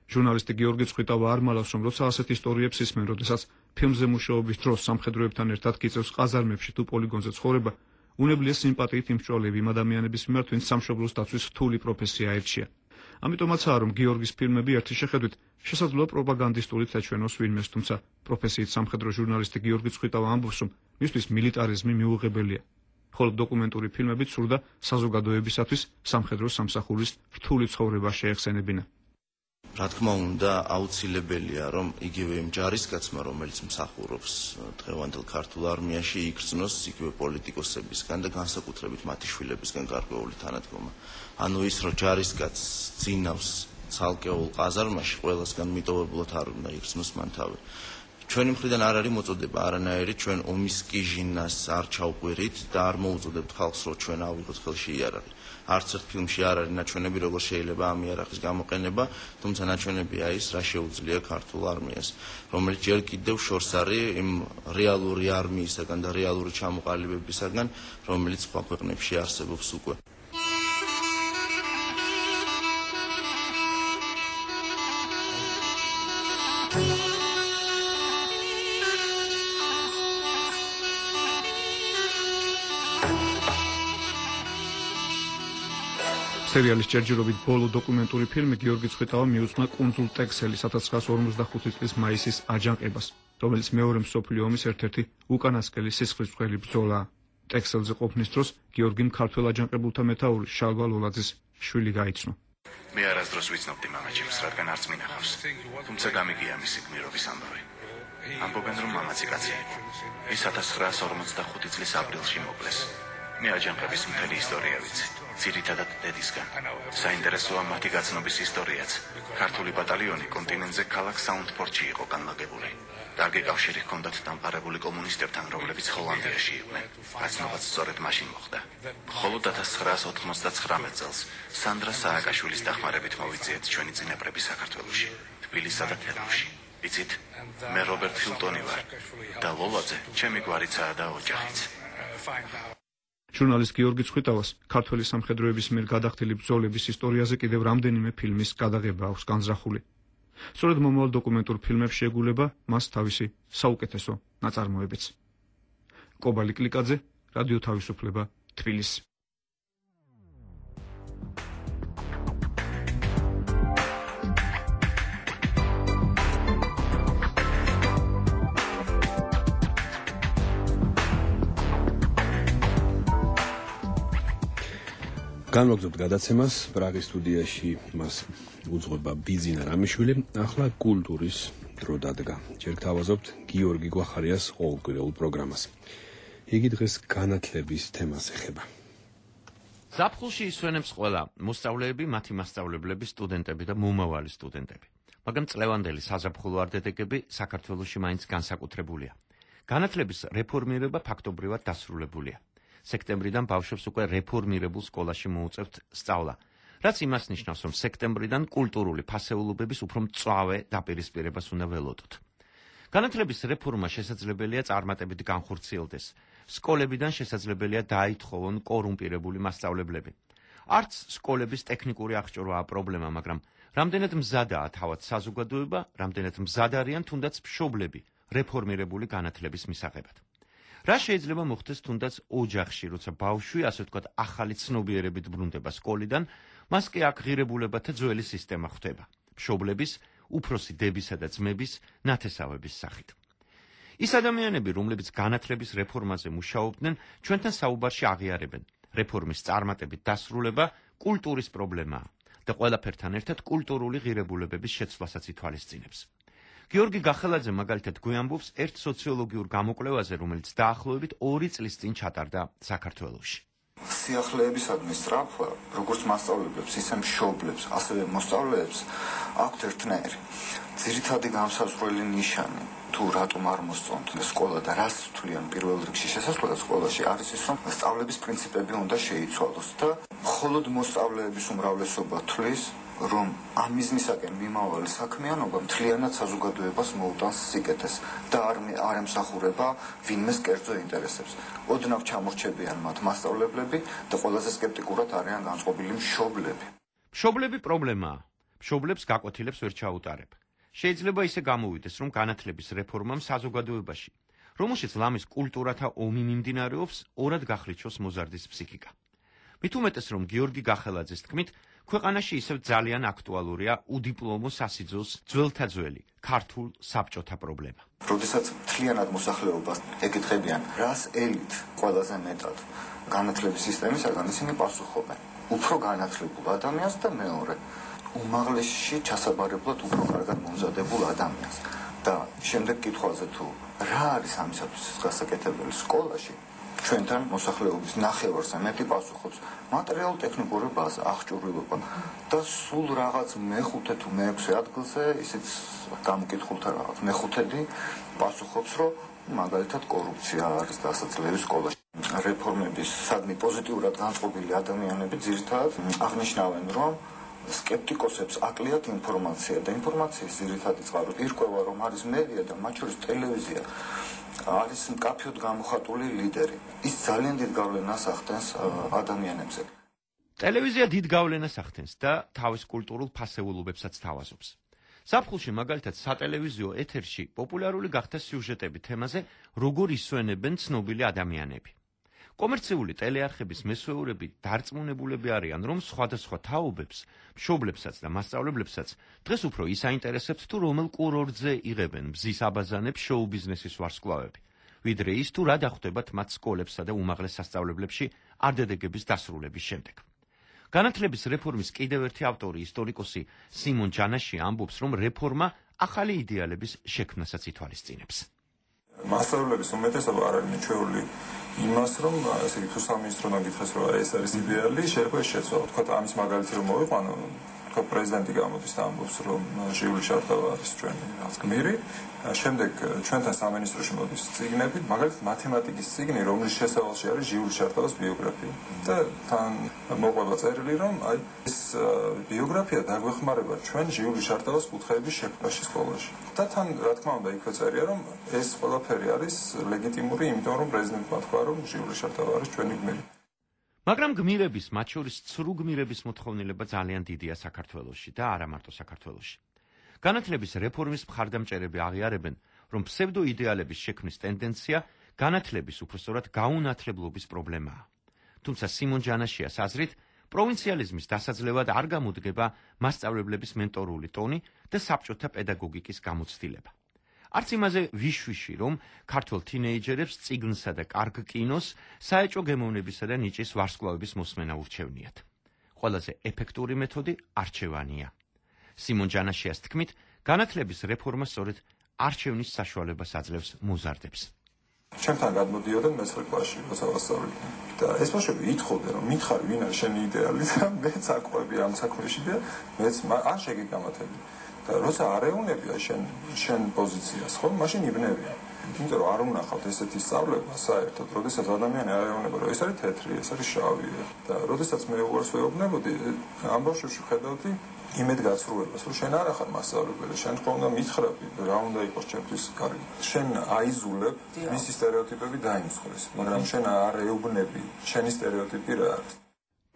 ჟურნალისტი გიორგი ცხვიტავა არ მალავს, რომ როცა ასეთ ისტორიებს ისმენ, როდესაც ფილმზე მუშაობის დროს სამხედროებთან ერთად გიწევს ყაზარმებში თუ პოლიგონზე ცხოვრება, უნებლიე სიმპათიით იმსჭვალები იმ ადამიანების მიმართ, ვინც სამშობლოს დაცვის რთული პროფესია აირჩია. ამიტომაცაა, რომ გიორგის ფილმები ერთი შეხედვით შესაძლოა პროპაგანდისტურით ეჩვენოს ვინმეს, თუმცა პროფესიით სამხედრო ჟურნალისტი გიორგი წხვიტავა ამბობს, რომ მისთვის მილიტარიზმი მიუღებელია. ხოლო დოკუმენტური ფილმები ცურდა საზოგადოებისათვის სამხედრო სამსახურის რთული ცხოვრება შეეხსენებინა. რა თქმა უნდა, აუცილებელია, რომ იგივე იმ ჯარისკაცმა, რომელიც მსახურობს დღევანდელ ქართულ არმიაში, იგრძნოს იგივე პოლიტიკოსებისგან და განსაკუთრებით მათი შვილებისგან გარკვეული თანადგომა. ანუ ის, რომ ჯარისკაცს ძინავს ცალკეულ ყაზარმაში, ყველასგან მიტოვებულად არ უნდა იგრძნოს მან თავი. ჩვენი მხრიდან არ არის მოწოდება არანაირი, ჩვენ ომის კიჟინას არ ჩავყვირით და არ მოუწოდებთ ხალხს, რომ ჩვენ ავიღოთ ხელში იარაღი. არც ერთ ფილმში არ არის ნაჩვენები, როგორ შეიძლება ამ იარაღის გამოყენება, თუმცა ნაჩვენებია ის, რა შეუძლია ქართულ არმიას, რომელიც ჯერ კიდევ შორს არის იმ რეალური არმიისაგან და რეალური ჩამოყალიბებისაგან, რომელიც სხვა ქვეყნებში არსებობს უკვე. სერიალის ჯერჯერობით ბოლო დოკუმენტური ფილმი გიორგი წხვიტავა მიუძღვნა კუნძულ ტექსელი 1945 წლის მაისის აჯანყებას, რომელიც მეორე მსოფლიო ომის ერთ-ერთი უკანასკნელი სისხლისმღერი ბრძოლაა. ტექსელზე ყოფნის დროს გიორგიმ ქართველ აჯანყებულთა მეთაური შალვა ლოლაძის შვილი გაიცნო. მე არასდროს ვიცნობდი მამაჩემს, რადგან არც მინახავს, თუმცა გამიგია მისი გმირობის ამბავი. ამბობენ, რომ მამაცი კაცი იყო. ის 1945 წლის აპრილში მოკლეს. მე აჯანყების მთელი ისტორია ვიცი. ძირითადად დედისგან. საინტერესოა მათი გაცნობის ისტორიაც. ქართული ბატალიონი კონტინენტზე ქალაქ საუნდფორტში იყო განლაგებული. კარგი კავშირი ჰქონდათ დამყარებული კომუნისტებთან, რომლებიც ჰოლანდიაში იყვნენ. გაცნობაც სწორედ მაშინ მოხდა. მხოლოდ 1999 წელს სანდრა სააკაშვილის დახმარებით მოვიძიეთ ჩვენი წინაპრები საქართველოში, თბილისსა და თელავში. იცით, მე რობერტ ფილტონი ვარ და ლოლაძე ჩემი გვარიცაა და ოჯახიც. ჟურნალისტ გიორგი წხვიტავას ქართველი სამხედროების მიერ გადახდილი ბრძოლების ისტორიაზე კიდევ რამდენიმე ფილმის გადაღება აქვს განზრახული. სწორედ მომავალ დოკუმენტურ ფილმებში შეგულება მას თავისი საუკეთესო ნაწარმოებიც. კობალი კლიკაძე, რადიო თავისუფლება, თბილისი. განვაგრძობთ გადაცემას პრაღის სტუდიაში მას უძღვება ბიზინა რამიშვილი. ახლა კულტურის დრო დადგა. ჯერ გთავაზობთ გიორგი გვახარიას ყოველკვირეულ პროგრამას. იგი დღეს განათლების თემას ეხება. ზაფხულში ისვენებს ყველა მოსწავლეები, მათი მასწავლებლები, სტუდენტები და მომავალი სტუდენტები. მაგრამ წლევანდელი საზაფხულო არდედეგები საქართველოში მაინც განსაკუთრებულია. განათლების რეფორმირება ფაქტობრივად დასრულებულია. სექტემბრიდან ბავშვებს უკვე რეფორმირებულ სკოლაში მოუწევთ სწავლა, რაც იმას ნიშნავს, რომ სექტემბრიდან კულტურული ფასეულობების უფრო მწვავე დაპირისპირებას უნდა ველოდოთ. განათლების რეფორმა შესაძლებელია წარმატებით განხორციელდეს. სკოლებიდან შესაძლებელია დაითხოვონ კორუმპირებული მასწავლებლები. არც სკოლების ტექნიკური აღჭურვაა პრობლემა, მაგრამ რამდენად მზადაა თავად საზოგადოება, რამდენად მზად არიან თუნდაც მშობლები რეფორმირებული განათლების მისაღებად. რა შეიძლება მოხდეს თუნდაც ოჯახში, როცა ბავშვი, ასე ვთქვათ, ახალი ცნობიერებით ბრუნდება სკოლიდან, მას კი აქ ღირებულებათა ძველი სისტემა ხვდება. მშობლების, უფროსი დებისა და ძმების, ნათესავების სახით. ის ადამიანები, რომლებიც განათლების რეფორმაზე მუშაობდნენ, ჩვენთან საუბარში აღიარებენ. რეფორმის წარმატებით დასრულება კულტურის პრობლემაა და ყველაფერთან ერთად კულტურული ღირებულებების შეცვლასაც ითვალისწინებს. გიორგი გახელაძე მაგალითად გვიამბობს ერთ სოციოლოგიურ გამოკვლევაზე, რომელიც დაახლოებით 2 წლის წინ ჩატარდა საქართველოში. სიახლეებისადმი სწრაფვა, როგორც მასწავლებლებს, ისე მშობლებს, ასევე მოსწავლეებს აქვთ ერთნაირი. ძირითადი განსაზღვრელი ნიშანი, თუ რატომ არ მოსწონთ სკოლა და რას თვლიან პირველ რიგში შესასვლელად სკოლაში, არის ის, რომ სწავლების პრინციპები უნდა შეიცვალოს და მხოლოდ მოსწავლეების უმრავლესობა თვლის, რომ ამ მიზნისაკენ მიმავალი საქმიანობა მთლიანად საზოგადოებას მოუტანს სიკეთეს და არ ემსახურება ვინმეს კერძო ინტერესებს. ოდნავ ჩამორჩებიან მათ მასწავლებლები და ყველაზე სკეპტიკურად არიან განწყობილი მშობლები. მშობლები პრობლემაა. მშობლებს გაკვეთილებს ვერ ჩაუტარებ. შეიძლება ისე გამოვიდეს, რომ განათლების რეფორმამ საზოგადოებაში, რომელშიც ლამის კულტურათა ომი მიმდინარეობს, ორად გახლიჩოს მოზარდის ფსიქიკა. მით უმეტეს, რომ გიორგი გახელაძის თქმით, ქვეყანაში ისევ ძალიან აქტუალურია უდიპლომო სასიძულს ძველთა ძველი ქართულ საბჭოთა პრობლემა. როდესაც მთლიანად მოსახლეობას ეკითხებიან, რას ელით ყველაზე მეტად განათლების სისტემისაგან, ისინი პასუხობენ. უფრო განათლებულ ადამიანს და მეორე, უმაღლესში ჩასაბარებლად უფრო კარგად მომზადებულ ადამიანს. და შემდეგ კითხვაზე თუ რა არის ამისათვის გასაკეთებელი სკოლაში, ჩვენთან მოსახლეობის ნახევარზე მეტი პასუხობს მატერიალურ-ტექნიკური ბაზა, აღჭურვილობა და სულ რაღაც მეხუთე თუ მეექვსე ადგილზე ისიც გამოკითხულთა რაღაც მეხუთედი პასუხობს, რომ მაგალითად კორუფცია არის დასაძლევი სკოლაში. რეფორმების სადმე პოზიტიურად განწყობილი ადამიანები ძირითადად აღნიშნავენ, რომ სკეპტიკოსებს აკლიათ ინფორმაცია და ინფორმაციის ძირითადი წყარო ირკვევა, რომ არის მედია და მათ შორის ტელევიზია არის მკაფიოდ გამოხატული ლიდერი. ის ძალიან დიდ გავლენას ახდენს ადამიანებზე. ტელევიზია დიდ გავლენას ახდენს და თავის კულტურულ ფასეულობებსაც თავაზობს. ზაფხულში მაგალითად სატელევიზიო ეთერში პოპულარული გახდა სიუჟეტები თემაზე, როგორ ისვენებენ ცნობილი ადამიანები. კომერციული ტელეარხების მესვეურები დარწმუნებულები არიან, რომ სხვადასხვა თაობებს, მშობლებსაც და მასწავლებლებსაც დღეს უფრო ის აინტერესებთ, თუ რომელ კურორტზე იღებენ მზის აბაზანებს შოუ-ბიზნესის ვარსკვლავები, ვიდრე ის თუ რა დახვდებათ მათ სკოლებსა და უმაღლეს სასწავლებლებში არდედეგების დასრულების შემდეგ. განათლების რეფორმის კიდევ ერთი ავტორი, ისტორიკოსი სიმონ ჯანაში ამბობს, რომ რეფორმა ახალი იდეალების შექმნასაც ითვალისწინებს. მასწავლებლების უმეტესობა არ არის მიჩვეული იმას, რომ ესე იგი თუ სამინისტროდან გითხეს, რომ ეს არის იდეალი, შეიძლება შეცვალო. თქვა ამის მაგალითი რომ მოვიყვანო, თქვა პრეზიდენტი გამოდის და ამბობს, რომ ჟიული შარტავა არის ჩვენი რაღაც გმირი. შემდეგ ჩვენთან სამინისტროში მოდის წიგნები, მაგალითად მათემატიკის წიგნი, რომლის შესავალში არის ჟიული შარტავას ბიოგრაფია. და თან მოყვება წერილი, რომ აი ეს ბიოგრაფია დაგვეხმარება ჩვენ ჟიული შარტავას კუთხეების შექმნაში სკოლაში. და თან რა თქმა უნდა იქვე წერია, რომ ეს ყველაფერი არის ლეგიტიმური, იმიტომ რომ პრეზიდენტმა თქვა, რომ ჟიული შარტავა არის ჩვენი გმირი. მაგრამ გმირების, მათ შორის ცრუ გმირების მოთხოვნილება ძალიან დიდია საქართველოში და არა მარტო საქართველოში. განათლების რეფორმის მხარდამჭერები აღიარებენ, რომ ფსევდოიდეალების შექმნის ტენდენცია განათლების უпростоრად გაუნათლებლობის პრობლემაა. თუმცა სიმონ ჯანაშიას აზრით, პროვინციალიზმის დასაძლევად არ გამოდგება მასწავლებლების მენტორული ტონი და საბჭოთა პედაგოგიკის გამოცდილება. არც იმაზე ვიშვიში, რომ ქართველ თინეიჯერებს წიგნსა და კარგ კინოს, საეჭვო გემოვნებისა და ნიჭის ვარსკვლავების მოსმენა ურჩევნიათ. ყველაზე ეფექტური მეთოდი არჩევანია. სიმონ ჯანაშიას თქმით, განათლების რეფორმა სწორედ არჩევნის საშუალებას აძლევს მოზარდებს. ჩემთან გადმოდიოდნენ მე-9 კლასში, როცა ვასწავლე. და ეს ბავშვები ითხოვდნენ, რომ მითხარი, ვინ არის შენი იდეალი და მეც აკვები ამ საქმეში და მეც არ შეგიგამათები. და როცა არ ეუნებია შენ პოზიციას, ხო, მაშინ იბნევია. იმიტომ რომ არ უნახავთ ესეთი სწავლება საერთოდ, როდესაც ადამიანი არ ეუბნება, რომ ეს არის თეთრი, ეს არის შავი. და როდესაც მე უარს ვეუბნებოდი, ამ ბავშვებში ხედავდი იმედგაცრუებას, რომ შენ არ ახარ მასწავლებელი, შენ თქო უნდა მითხრები, რა უნდა იყოს ჩემთვის კარგი. შენ აიზულებ, მისი სტერეოტიპები დაიმსხვრეს, მაგრამ შენ არ ეუბნები, შენი სტერეოტიპი რა არის.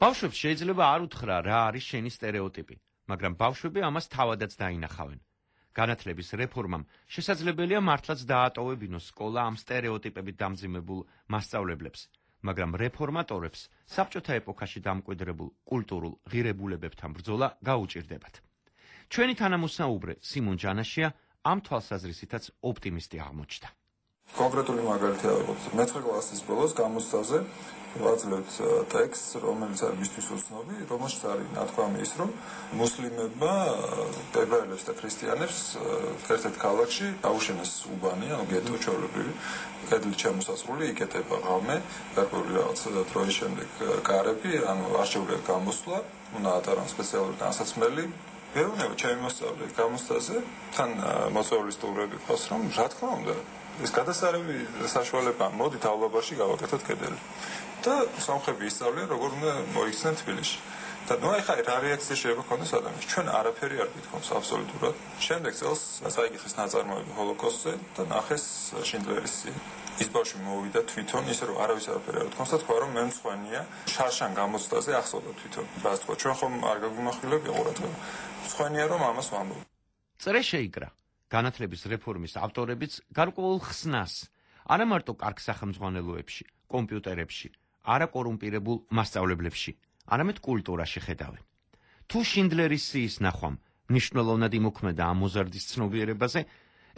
ბავშვებს შეიძლება არ უთხრა რა არის შენი სტერეოტიპი, მაგრამ ბავშვები ამას თავადაც დაინახავენ. განათლების რეფორმამ შესაძლებელია მართლაც დაატოვებინოს სკოლა ამ სტერეოტიპებით დამძიმებულ მასწავლებლებს, მაგრამ რეფორმატორებს საბჭოთა ეპოქაში დამკვიდრებულ კულტურულ ღირებულებებთან ბრძოლა გაუჭირდებათ. ჩვენი თანამოსაუბრე სიმონ ჯანაშია ამ თვალსაზრისითაც ოპტიმისტი აღმოჩნდა. კონკრეტული მაგალითი ავიღოთ. მე-9 კლასის ბოლოს გამოცდაზე ვაძლევთ ტექსტს, რომელიც არის მისთვის უცნობი, რომელშიც არის ნათქვამი ის, რომ მუსლიმებმა ებრაელებს და ქრისტიანებს ერთ-ერთ ქალაქში აუშენეს უბანი, ანუ გეტო ჩვეულებრივი, კედლით შემოსასრული, იკეტება ღამე, გარკვეული რაღაც დროის შემდეგ კარები, ანუ არჩევლად გამოსვლა, უნდა ატარონ სპეციალური განსაცმელი. ეუბნება ჩემი მოსწავლე გამოცდაზე, თან მოწვეული სტუმრები ყავს, რომ რა თქმა უნდა ეს გადასარევი საშუალება მოდით აულაბარში გავაკეთოთ კედელი. და სამხები ისწავლიან, როგორ უნდა მოიქცნენ თბილისში. და ნუ ახლა რა რეაქცია შეიძლება ქონდეს ადამიანს? ჩვენ არაფერი არ გითხოვს აბსოლუტურად. შემდეგ წელს წაიკითხეს ნაწარმოები ჰოლოკოსტზე და ნახეს შინდლერის სია. ის ბავშვი მოვიდა თვითონ, ისე რომ არავის არაფერი არ უთქვამს და თქვა, რომ მე მწვანეა, შარშან გამოცდაზე ახსოვდა თვითონ. რას თქვა, ჩვენ ხომ არ გაგვიმახვილებია ყურადღება. მწვანეა რომ ამას ვამბობ. წრე შეიკრა. განათლების რეფორმის ავტორებიც გარკვეულ ხსნას არა მარტო კარგ სახელმძღვანელოებში, კომპიუტერებში, არა კორუმპირებულ მასწავლებლებში, არამედ კულტურაში ხედავენ. თუ შინდლერის სიის ნახვამ მნიშვნელოვნად იმოქმედა ამ მოზარდის ცნობიერებაზე,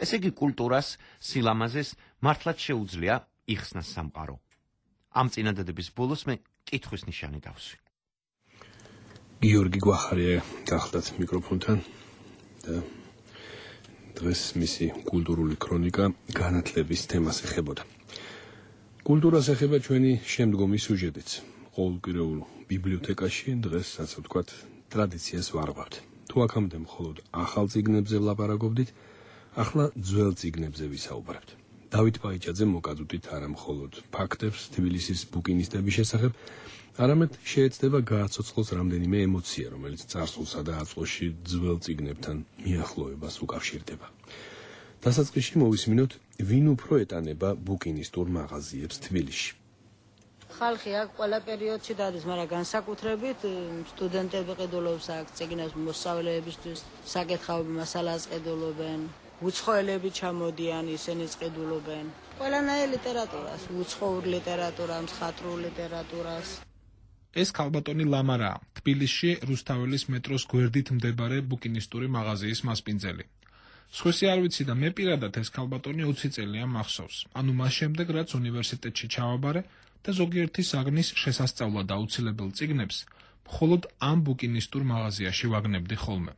ესე იგი კულტურას, სილამაზეს მართლაც შეუძლია იხსნას სამყარო. ამ წინადადების ბოლოს მე კითხვის ნიშანი დავსვი. გიორგი გვახარია გახლდათ მიკროფონთან და დღეს მისი კულტურული ქრონიკა განათლების თემას ეხებოდა. კულტურას ეხება ჩვენი შემდგომი სიუჟეტიც. ყოველკვირეულ ბიბლიოთეკაში დღეს ასე ვთქვათ ტრადიციას ვარღვევთ. თუ აქამდე მხოლოდ ახალ წიგნებზე ვლაპარაკობდით, ახლა ძველ წიგნებზე ვისაუბრებთ. დავით ბაიჭაძე მოკადუტით არა მხოლოდ ფაქტებს თბილისის ბუკინისტების შესახებ, არამედ შეეცდება გააცოცხლოს რამდენიმე ემოცია, რომელიც წარსულსა და აწმყოში ძველ წიგნებთან მიახლოებას უკავშირდება. დასაწყისში მოვისმინოთ, ვინ უფრო ეტანება ბუკინისტურ მაღაზიებს თბილისში. ხალხი აქ ყველა პერიოდში დადის, მაგრამ განსაკუთრებით სტუდენტები ყიდულობს აქ წიგნებს მოსწავლეებისთვის, საკითხავები მასალას ყიდულობენ, უცხოელები ჩამოდიან, ისინიც ყიდულობენ. ყველანაირ ლიტერატურას, უცხოურ ლიტერატურას, მხატვრულ ლიტერატურას. ეს ქალბატონი ლამარაა, თბილისში რუსთაველის მეტროს გვერდით მდებარე ბუკინისტური მაღაზიის მასპინძელი. სხვისი არ ვიცი და მე პირადად ეს ქალბატონი 20 წელია მახსოვს. ანუ მას შემდეგ, რაც უნივერსიტეტში ჩავაბარე და ზოგიერთი საგნის შესასწავლად აუცილებელ წიგნებს მხოლოდ ამ ბუკინისტურ მაღაზიაში ვაგნებდი ხოლმე.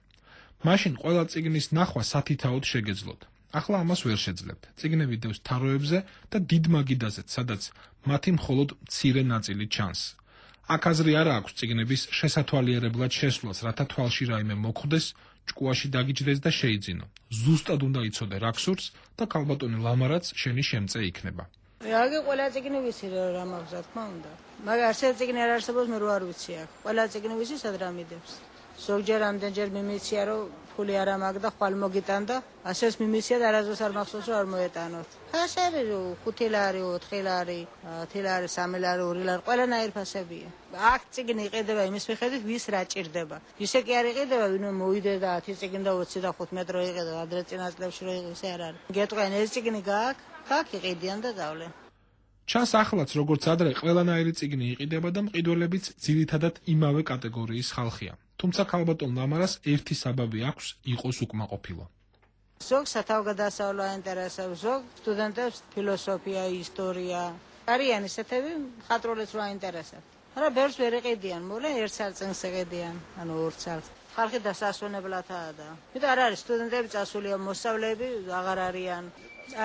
მაშინ ყველა წიგნის ნახვა სათითაოდ შეგეძლოთ. ახლა ამას ვერ შეძლებთ. წიგნები დევს თაროებზე და დიდ მაგიდაზეც, სადაც მათი მხოლოდ მცირე ნაწილი ჩანს. აქ აზრი არა აქვს წიგნების შესათვალიერებლად შესვლას, რათა თვალში რაიმე მოხვდეს, ჭკუაში დაგიჯდეს და შეიძინო. ზუსტად უნდა იცოდე რა გსურს და ქალბატონი ლამარაც შენი შემწე იქნება. აგი ყველა წიგნი ვიცი რა მაქვს, რა თქმა უნდა. მაგრამ ასეთი წიგნი არ არსებობს, მე რო არ ვიცი აქ. ყველა წიგნი ვიცი სად რა მიდევს. ზოგჯერ ამდენჯერ მიმიცია რომ ფული არ მაქვს და ხვალ მოგიტანდა, ასეც მიმიცია და არასდროს არ მახსოვს რომ არ მოეტანოთ. ფასები 5 ლარი, 4 ლარი, 10 ლარი, 3 ლარი, 2 ლარი, ყველანაირ ფასებია. აქ წიგნი იყიდება იმის მიხედვით, ვის რა ჭირდება. ისე კი არ იყიდება, ვინ მოვიდე და 10 წიგნი და 20 და 15 რო იყიდა, ადრე წინა წლებში რო იყიდა, ისე არ არის. გეტყვიან ეს წიგნი გააქვს, აქ იყიდიან და დავლენ. ჩანს ახლაც როგორც ადრე ყველანაირი წიგნი იყიდება და მყიდველებიც ძირითადად იმავე კატეგორიის ხალხია. თუმცა ქალბატონ ლამარას ერთი საბაბი აქვს იყოს უკმაყოფილო. ზოგ სათავგადასავლო აინტერესებს, ზოგ სტუდენტებს ფილოსოფია, ისტორია. არიან ისეთები, მხატვრულიც რო აინტერესებთ. მაგრამ ბევრს ვერ იყიდიან, მოკლედ ერთ სარწმუნს იყიდიან, ანუ ორ სარწმუნს. ხალხი დასასვენებლადაა და. იმიტომ არ არის სტუდენტები წასულია, მოსწავლეები აღარ არიან.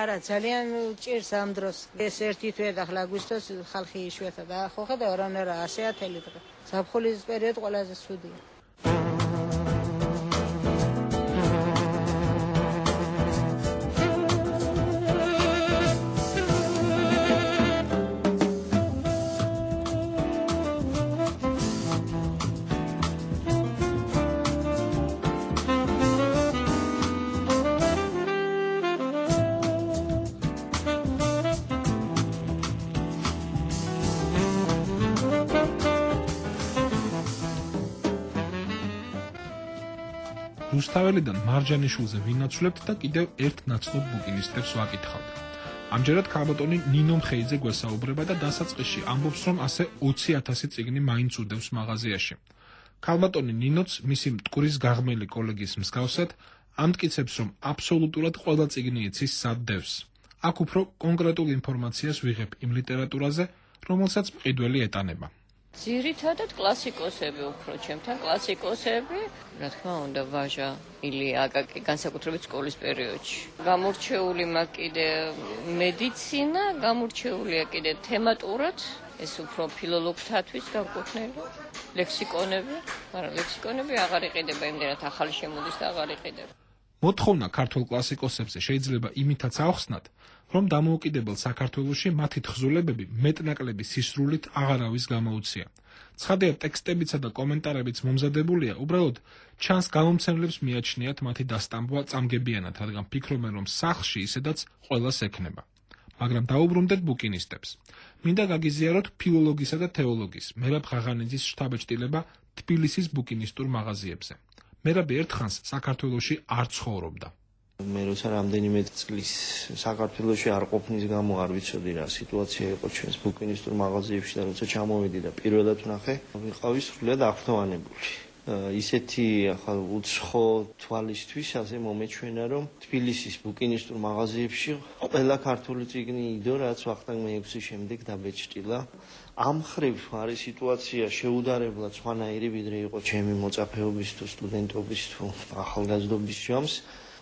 არა, ძალიან ჭირს ამ დროს. ეს ერთი თვე და ახლა აგვისტოს ხალხი იშვიათად და ხო ხედავ რანერა 100 თელი დღე. ზაფხულის პერიოდი ყველაზე ცუდია. რუსთაველიდან მარჯანიშვილზე ვინაცვლებთ და კიდევ ერთ ნაცნობ ბუკინისტებს ვაკითხავთ. ამჯერად ქალბატონი ნინო მხეიძე გვესაუბრება და დასაწყისში ამბობს, რომ ასე 20,000 წიგნი მაინც უდევს მაღაზიაში. ქალბატონი ნინოც მისი მტკვრის გაღმელი კოლეგის მსგავსად ამტკიცებს, რომ აბსოლუტურად ყველა წიგნი იცის სად დევს. აქ უფრო კონკრეტულ ინფორმაციას ვიღებ იმ ლიტერატურაზე, რომელსაც მყიდველი ეტანება. ძირითადად კლასიკოსები უფრო ჩემთან კლასიკოსები, რა თქმა უნდა, ვაჟა, ილია აკაკი, განსაკუთრებით სკოლის პერიოდში. გამორჩეული მაქვს კიდე მედიცინა, გამორჩეულია კიდე თემატურად, ეს უფრო ფილოლოგთათვის განკუთვნილი, ლექსიკონები, მაგრამ ლექსიკონები აღარ იყიდება, იმდენად ახალი შემოდის და აღარ იყიდება. მოთხოვნა ქართულ კლასიკოსებზე შეიძლება იმითაც ახსნათ, რომ დამოუკიდებელ საქართველოში მათი თხზულებები მეტნაკლები სისრულით აღარავის გამოუცია. ცხადია, ტექსტებიცა და კომენტარებიც მომზადებულია, უბრალოდ ჩანს გამომცემლებს მიაჩნიათ მათი დასტამბვა წამგებიანად, რადგან ფიქრობენ, რომ სახლში ისედაც ყველას ექნება. მაგრამ დაუბრუნდეთ ბუკინისტებს. მინდა გაგიზიაროთ ფილოლოგისა და თეოლოგის, მერაბ ღაღანიძის შთაბეჭდილება თბილისის ბუკინისტურ მაღაზიებზე. მერაბი ერთხანს საქართველოში არ ცხოვრობდა. მე როცა რამდენიმე წლის საქართველოში არ ყოფნის გამო არ ვიცოდი რა სიტუაცია იყო ჩვენს ბუკინისტურ მაღაზიებში და როცა ჩამოვედი და პირველად ვნახე, ვიყავი სრულიად აღფრთოვანებული. ისეთი ახალ უცხო თვალისთვის ასე მომეჩვენა, რომ თბილისის ბუკინისტურ მაღაზიებში ყველა ქართული წიგნი იდო, რაც ვახტანგ მე-6-ის შემდეგ დაბეჭდილა. ამ ხრივ არის სიტუაცია შეუდარებლად სხვანაირი, ვიდრე იყო ჩემი მოწაფეობის თუ სტუდენტობის თუ ახალგაზრდობის ჯამს,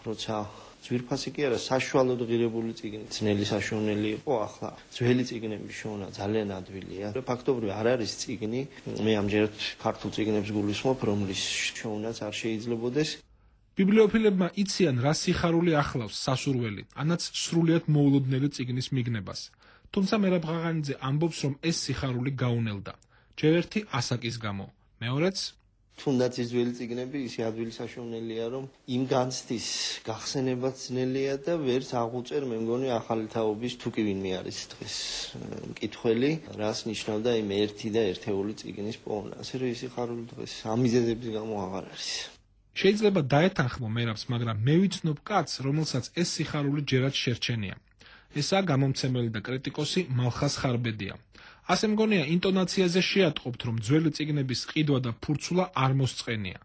როცა ძვირფასი კი არა, საშუალოდ ღირებული წიგნი, ძნელი საშუალელი იყო, ახლა ძველი წიგნების შოვნა ძალიან ადვილია. ფაქტობრივად არ არის წიგნი, მე ამჯერად ქართულ წიგნებს გულისხმობ, რომლის შოვნაც არ შეიძლებოდეს. ბიბლიოფილებმა იციან რა სიხარული ახლავს სასურველი, ანაც სრულიად მოულოდნელი წიგნის მიგნებას. თუმცა მერაბ ღაღანიძე ამბობს, რომ ეს სიხარული გაუნელდა. ჯერ ერთი ასაკის გამო, მეორეც თუნდაც ის ძველი წიგნები ისე ადვილი საშუალებაა, რომ იმ განცდის გახსენებაც ძნელია და ვერც აღუწერ მე მგონი ახალი თაობის თუ კი ვინმე არის დღეს მკითხველი, რას ნიშნავდა იმ ერთი და ერთეული წიგნის პოვნა. ასე რომ ისი ხარული დღეს ამიზეზების გამო აღარ არის. შეიძლება დაეთანხმო მერაბს, მაგრამ მე ვიცნობ კაცს, რომელსაც ეს სიხარული ჯერაც შერჩენია. ესაა გამომცემელი და კრიტიკოსი მალხას ხარბედია. ასე მგონია ინტონაციაზე შეატყობთ, რომ ძველი წიგნების ყიდვა და ფურცულა არ მოსწყენია.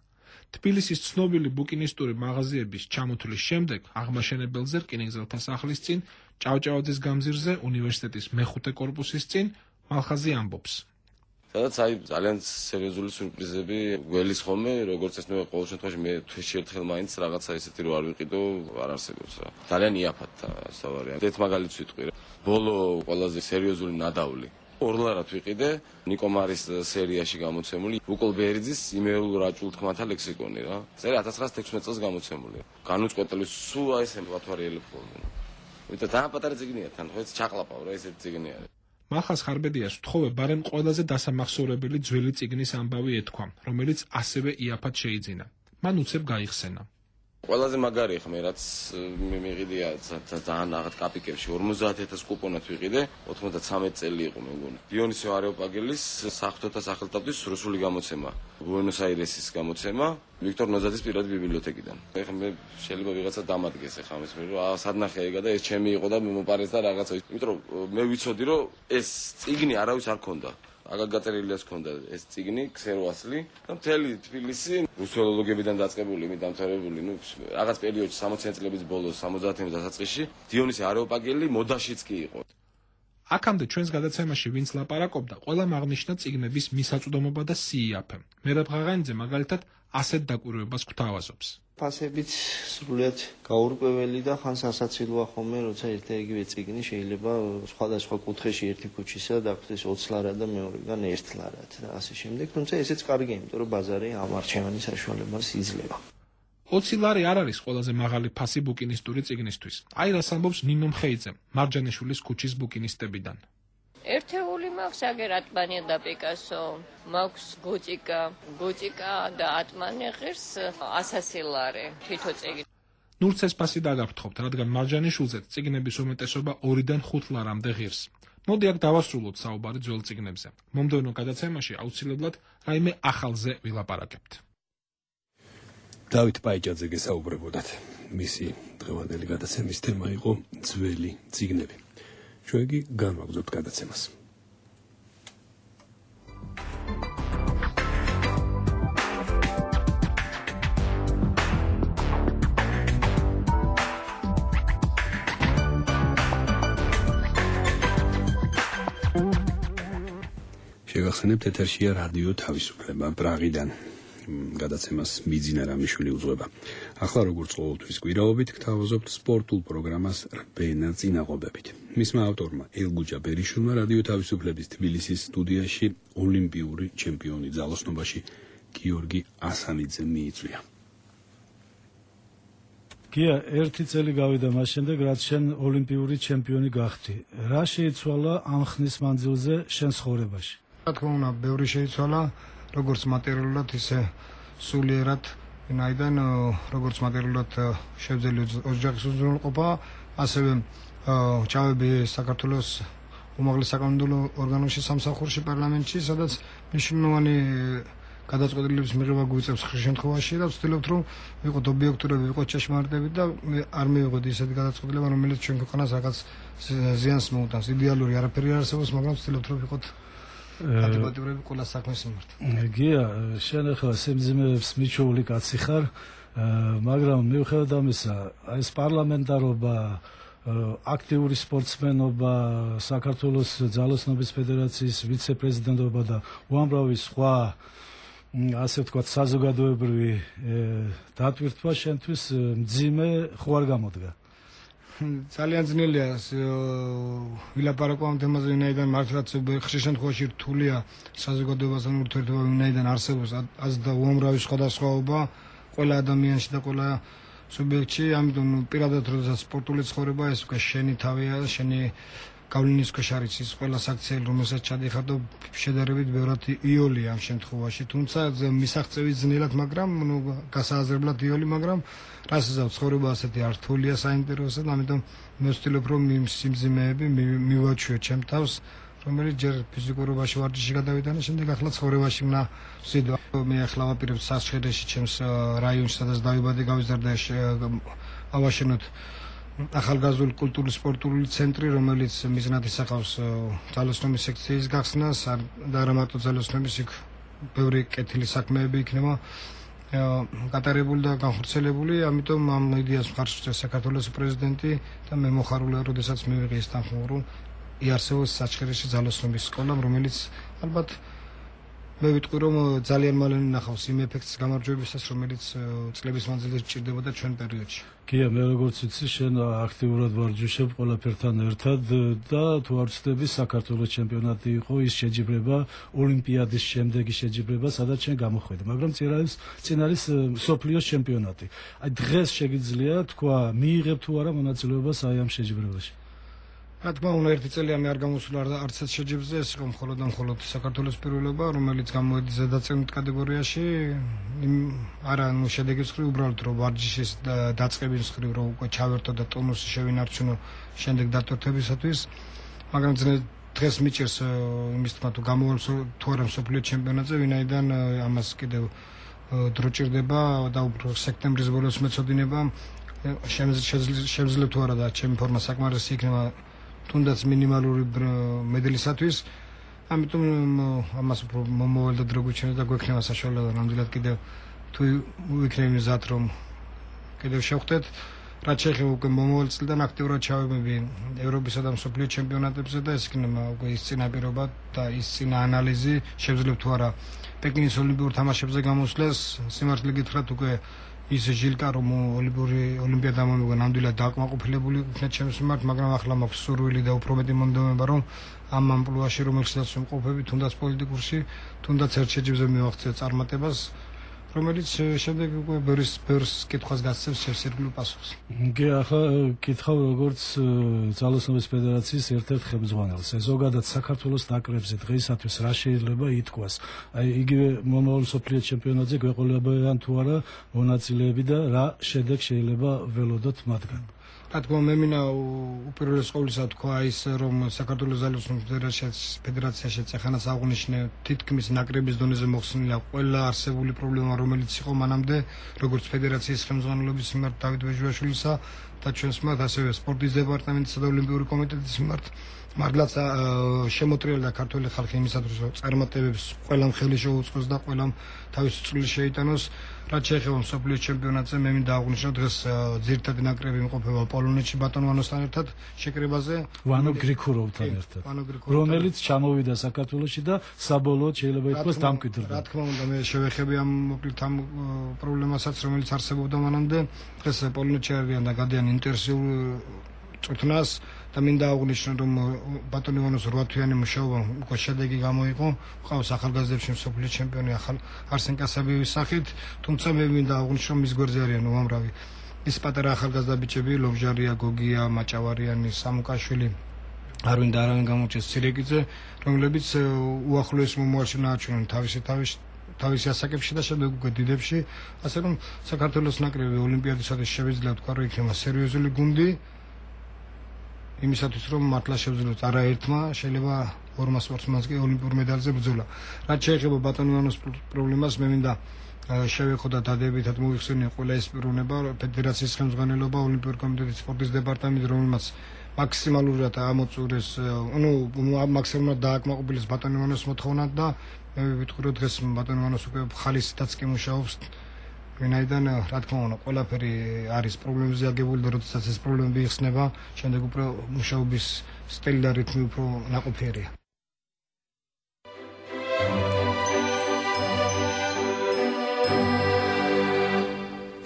თბილისის ცნობილი ბუკინისტური მაღაზიების ჩამოთვლის შემდეგ აღმაშენებელზე რკინიგზელთა სახლის წინ, ჭავჭავაძის გამზირზე, უნივერსიტეტის მეხუთე კორპუსის წინ მალხაზი ამბობს. სადაც ძალიან სერიოზული სურპრიზები გველის ხოლმე, როგორც ეს მე ყოველ შემთხვევაში მე თვეში ერთხელ მაინც რაღაცა ისეთი რო არ ვიყიდო, არ არსებობს რა. ძალიან იაფად სავარია. ერთ მაგალითს ვიტყვი რა. ბოლო ყველაზე სერიოზული ნადავლი ორლარად ვიყიდე ნიკო მარის სერიაში გამოცემული უკოლ ბერიძის იმეულ რაჭულ თქმათა ლექსიკონი რა. წერა 1916 წელს გამოცემული. განუწყვეტელი სულ აი ეს ემპათვარიელებ ხოლმე. ვიტყვი თან პატარა წიგნია თან ხო ეს ჩაყლაპავ რა ესეთი წიგნი არის. მალხას ხარბედიას ვთხოვე ბარემ ყველაზე დასამახსოვრებელი ძველი წიგნის ამბავი ეთქვა, რომელიც ასევე იაფად შეიძინა. მან უცებ გაიხსენა. ყველაზე მაგარი ხმე რაც მე მიყიდია ძალიან რაღაც კაპიკებში 50000 კუპონად ვიყიდე 93 წელი იყო მე მგონი. დიონისე არეოპაგელის საღვთოთა სახელმწიფოს რუსული გამოცემა, ბუენოს-აირესის გამოცემა, ვიქტორ ნოზაძის პირადი ბიბლიოთეკიდან. ეხლა მე შეიძლება ვიღაცა დამადგეს ეხლა ამის მე რომ სადნახე ეგა და ეს ჩემი იყო და მე მოპარეს და რაღაცა. იმიტომ რომ მე ვიცოდი რომ ეს წიგნი არავის არ ქონდა. აგარ გაწერილიას ქონდა ეს წიგნი, ქსეროასლი და მთელი თბილისი რუსოლოგებიდან დაწყებული, მე დამთავრებული, ნუ რაღაც პერიოდში 60-იან წლების ბოლოს, 70-იან დასაწყისში დიონისე არეოპაგელი მოდაშიც კი იყო. აქამდე ჩვენს გადაცემაში ვინც ლაპარაკობდა, ყველამ აღნიშნა წიგნების მისაწვდომობა და სიიაფე. მერაბ ღაღანიძე მაგალითად ასეთ დაკვირვებას გვთავაზობს. ფასებიც სრულიად გაურკვეველი და ხან სასაცილოა ხოლმე, როცა ერთ-ერთი წიგნი შეიძლება სხვადასხვა კუთხეში ერთი ქუჩისა დაგვდეს 20 ლარა და მეორეგან 1 ლარად და ასე შემდეგ. თუმცა ესეც კარგია, იმიტომ რომ ბაზარი ამ არჩევანის საშუალებას იძლევა. 20 ლარი არ არის ყველაზე მაღალი ფასი ბუკინისტური წიგნისთვის. აი რას ამბობს ნინო მხეიძე, მარჯანიშვილის ქუჩის ბუკინისტებიდან. ერთეული მაქვს აგერ ატმანი და პიკასო, მაქვს გოწიკა და ატმანი ღირს 100 ლარი თითო წიგნი. ნურც ეს ფასი დაგაფრთხობთ, რადგან მარჯანიშვილზე წიგნების უმეტესობა 2-დან 5 ლარამდე ღირს. მოდი აქ დავასრულოთ საუბარი ძველ წიგნებზე. მომდევნო გადაცემაში აუცილებლად რაიმე ახალზე ვილაპარაკებთ. დავით პაიჭაძე გესაუბრებოდათ. მისი დღევანდელი გადაცემის თემა იყო ძველი წიგნები. ჩვენ კი განვაგრძობთ გადაცემას. შეგახსენებთ, ეთერშია რადიო თავისუფლება პრაღიდან. გადაცემას მიძინა რამიშვილი უძღვება. ახლა როგორც ყოველთვის გვირაობით გთავაზობთ სპორტულ პროგრამას რბენა წინაღობებით. მისმა ავტორმა ელგუჯა ბერიშვილმა რადიო თავისუფლების თბილისის სტუდიაში ოლიმპიური ჩემპიონი ძალოსნობაში გიორგი ასანიძე მიიწვია. გია, ერთი წელი გავიდა მას შემდეგ, რაც შენ ოლიმპიური ჩემპიონი გახდი. რა შეიცვალა ამ ხნის მანძილზე შენ ცხოვრებაში? რა თქმა უნდა, ბევრი შეიცვალა, როგორც მატერიალურად, ისე სულიერად, ვინაიდან როგორც მატერიალურად შევძელი ოჯახის უზრუნველყოფა, ასევე ჩავები საქართველოს უმაღლეს საკანონმდებლო ორგანოში, სამსახურში, პარლამენტში, სადაც მნიშვნელოვანი გადაწყვეტილების მიღება გვიწევს ხშირ შემთხვევაში და ვცდილობთ რომ ვიყოთ ობიექტურები, ვიყოთ ჭეშმარიტები და არ მივიღოთ ისეთი გადაწყვეტილება, რომელიც ჩვენ ქვეყანას რაღაც ზიანს მოუტანს. იდეალური არაფერი არ არსებობს, მაგრამ ვცდილობთ რომ ვიყოთ ადეკვატურები ყველა საქმის მიმართ. გია, შენ ახლა სიმძიმეებს მიჩვეული კაცი ხარ, მაგრამ მიუხედავად ამისა, ეს პარლამენტარობა, აქტიური სპორტსმენობა, საქართველოს ძალოსნობის ფედერაციის ვიცე-პრეზიდენტობა და უამრავი სხვა ასე ვთქვათ საზოგადოებრივი დატვირთვა შენთვის მძიმე ხო არ გამოდგა? ძალიან ძნელია ვილაპარაკო ამ თემაზე, ვინაიდან მართლაც ხშირ შემთხვევაში რთულია საზოგადოებასთან ურთიერთობა, ვინაიდან არსებობს და უამრავი სხვადასხვაობა ყველა ადამიანში და ყველა სუბიექტში, ამიტომ პირადად როდესაც სპორტული ცხოვრება ეს უკვე შენი თავია, შენი გავლენის ქვეშ არის ის ყველა საქციელი, რომელსაც ჩადიხარ და შედარებით ბევრად იოლია ამ შემთხვევაში, თუმცა მისაღწევი ძნელად, მაგრამ გასააზრებლად იოლი, მაგრამ რასაც ცხოვრება ასეთი რთულია საინტერესო და ამიტომ მე ვცდილობ რომ იმ სიმძიმეები მივაჩვიო ჩემ თავს, რომელიც ჯერ ფიზიკურობაში ვარჯიში გადავიტანე, შემდეგ ახლა ცხოვრებაში მნა ვსიდო. მე ახლა ვაპირებ სასწრაფოში ჩემს რაიონში, სადაც დავიბადე, გავიზარდე, ავაშენოთ ახალგაზრდული კულტურული სპორტული ცენტრი, რომელიც მიზნად ისახავს ძალოსნობის სექციის გახსნას და არა მარტო ძალოსნობის, იქ ბევრი კეთილი საქმეები იქნება გატარებული და განხორციელებული, ამიტომ ამ იდეას მხარს უჭერს საქართველოს პრეზიდენტი და მე მოხარულია, როდესაც მივიღე ეს თანხმობა, რომ იარსებობს საჩხერეში ძალოსნობის სკოლა, რომელიც ალბათ მე ვიტყვი რომ ძალიან მალე ნახავს იმ ეფექტს გამარჯვებისას, რომელიც წლების მანძილზე სჭირდებოდა ჩვენ პერიოდში. გია, მე როგორც ვიცი, შენ აქტიურად ვარჯიშობ ყველაფერთან ერთად და თუ არ ვცდები, საქართველოს ჩემპიონატი იყო ის შეჯიბრება, ოლიმპიადის შემდეგი შეჯიბრება, სადაც შენ გამოხვედი, მაგრამ წინ არის მსოფლიოს ჩემპიონატი. აი დღეს შეგიძლია თქვა, მიიღებ თუ არა მონაწილეობას აი ამ შეჯიბრებაში? რა თქმა უნდა, ერთი წელი ამი არ გამოსულა არც ერთ შეჯიბრზე, ეს იყო მხოლოდ და მხოლოდ საქართველოს პირველობა, რომელიც გამოედი ზედაწევნით კატეგორიაში, არა შედეგის მხრივ, უბრალოდ რომ ვარჯიშის დაწყების მხრივ რომ უკვე ჩავერთო და ტონუსი შევინარჩუნო შემდეგ დატვირთებისათვის, მაგრამ დღეს მიჭირს იმის თქმა თუ გამოვალ თუ არა მსოფლიო ჩემპიონატზე, ვინაიდან ამას კიდევ დრო ჭირდება და უფრო სექტემბრის ბოლოს მეცოდინება, შემძლებ თუ არა და ჩემი ფორმა საკმარისი იქნება თუნდაც მინიმალური მედლისათვის, ამიტომ ამას უფრო მომავალ და დრო გვიჩვენებს და გვექნება საშუალება ნამდვილად კიდევ თუ ვიქნები მზად რომ კიდევ შევხვდეთ, რაც შეეხება უკვე მომავალ წლიდან აქტიურად ჩავებები ევროპისა და მსოფლიო ჩემპიონატებზე და ეს იქნება უკვე ის წინაპირობა და ის წინა ანალიზი, შევძლებ თუ არა პეკინის ოლიმპიურ თამაშებზე გამოსვლას, სიმართლე გითხრათ უკვე ის ჟილკა რომ ოლიმპიადა მომიგო ნამდვილად დააკმაყოფილებული იქნა ჩემს მიმართ, მაგრამ ახლა მაქვს სურვილი და უფრო მეტი მონდომება რომ ამ ამპლუაში რომელსაც ვიმყოფები, თუნდაც პოლიტიკურში, თუნდაც ერთ შეჯიბრზე მივახცე წარმატებას, რომელიც შემდეგ უკვე ბევრს კითხვას გასცემს შევსირგლო პასუხს. გე ახლა კითხავ როგორც ძალოსნობის ფედერაციის ერთ-ერთ ხელმძღვანელს, ზოგადად საქართველოს ნაკრებზე დღეისათვის რა შეიძლება ითქვას? აი იგივე მომავალ მსოფლიო ჩემპიონატზე გვეყოლებიან თუ არა მონაწილეები და რა შედეგ შეიძლება ველოდოთ მათგან? რა თქმა უნდა, მე მინდა უპირველეს ყოვლისა თქვა ის, რომ საქართველოს ძალოსნობის ფედერაციაში ეხანას აღნიშნე თითქმის ნაკრების დონეზე მოხსნილია ყველა არსებული პრობლემა, რომელიც იყო მანამდე, როგორც ფედერაციის ხელმძღვანელობის მიმართ დავით ვეჟუაშვილისა და ჩვენს მიმართ, ასევე სპორტის დეპარტამენტისა და ოლიმპიური კომიტეტის მიმართ. მართლაც შემოტრიალდა ქართული ხალხი იმისათვის, რომ წარმატებებს ყველამ ხელი შეუწყოს და ყველამ თავისი წვლილი შეიტანოს. რაც შეეხება მსოფლიო ჩემპიონატზე, მე მინდა აღვნიშნო დღეს ძირითადი ნაკრები იმყოფება პოლონეთში ბატონ ვანოსთან ერთად შეკრებაზე, ვანო გრიქუროვთან ერთად, რომელიც ჩამოვიდა საქართველოში და საბოლოოდ შეიძლება ითქვას დამკვიდრდა. რა თქმა უნდა, მე შევეხები ამ მოკლედ ამ პრობლემასაც, რომელიც არსებობდა მანამდე. დღეს პოლონეთში არიან და გადიან ინტენსიურ წვრთნას და მინდა აღვნიშნო, რომ ბატონ ივანოს 8 თვიანი მუშაობა უკვე შედეგი გამოიყო, ყავს ახალგაზრდებში მსოფლიო ჩემპიონი არსენ კასაბიევის სახით, თუმცა მე მინდა აღვნიშნო, მის გვერდზე არიან უამრავი ის პატარა ახალგაზრდა ბიჭები, ლობჟარია, გოგია, მაჭავარიანი, სამუკაშვილი, არვინ და არავინ გამოჩეს ცირეკიძე, რომლებიც უახლოეს მომავალში ნააჩვენონ თავისი ასაკებში და შემდეგ უკვე დიდებში, ასე რომ საქართველოს ნაკრები ოლიმპიადისათვის შევიძლია თქვა, რომ იქნება სერიოზული გუნდი იმისათვის რომ მართლა შევძლოთ არაერთმა შეიძლება ორმა სპორტსმენს კი ოლიმპიურ მედალზე ბრძოლა. რაც შეეხება ბატონ ივანოს პრობლემას, მე მინდა შევეხო და დადებითად მოვიხსენიო ყველა ეს პიროვნება, ფედერაციის ხელმძღვანელობა, ოლიმპიური კომიტეტის სპორტის დეპარტამენტი, რომელმაც მაქსიმალურად ამოწურეს, მაქსიმალურად დააკმაყოფილეს ბატონ ივანოს მოთხოვნად და მე ვიტყვი რომ დღეს ბატონ ივანოს უკვე ხალისითაც კი მუშაობს. ვინაიდან რა თქმა უნდა ყველაფერი არის პრობლემებზე აგებული და როდესაც ეს პრობლემები იხსნება, შემდეგ უფრო მუშაობის სტილი და რიტმი უფრო ნაყოფიერია.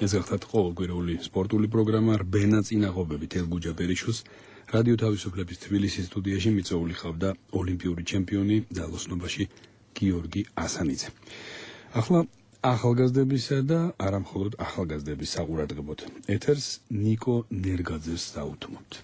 ეს გახლავთ ყოველკვირეული სპორტული პროგრამა რბენა წინაღობებით ელგუჯა ბერიშოს რადიო თავისუფლების თბილისის სტუდიაში მიწვეული ხავდა ოლიმპიური ჩემპიონი ძალოსნობაში გიორგი ასანიძე. ახლა ახალგაზრდებისა და არამხოლოდ ახალგაზრდების საყურადღებოდ ეთერს ნიკო ნერგაძეს დაუთმობთ.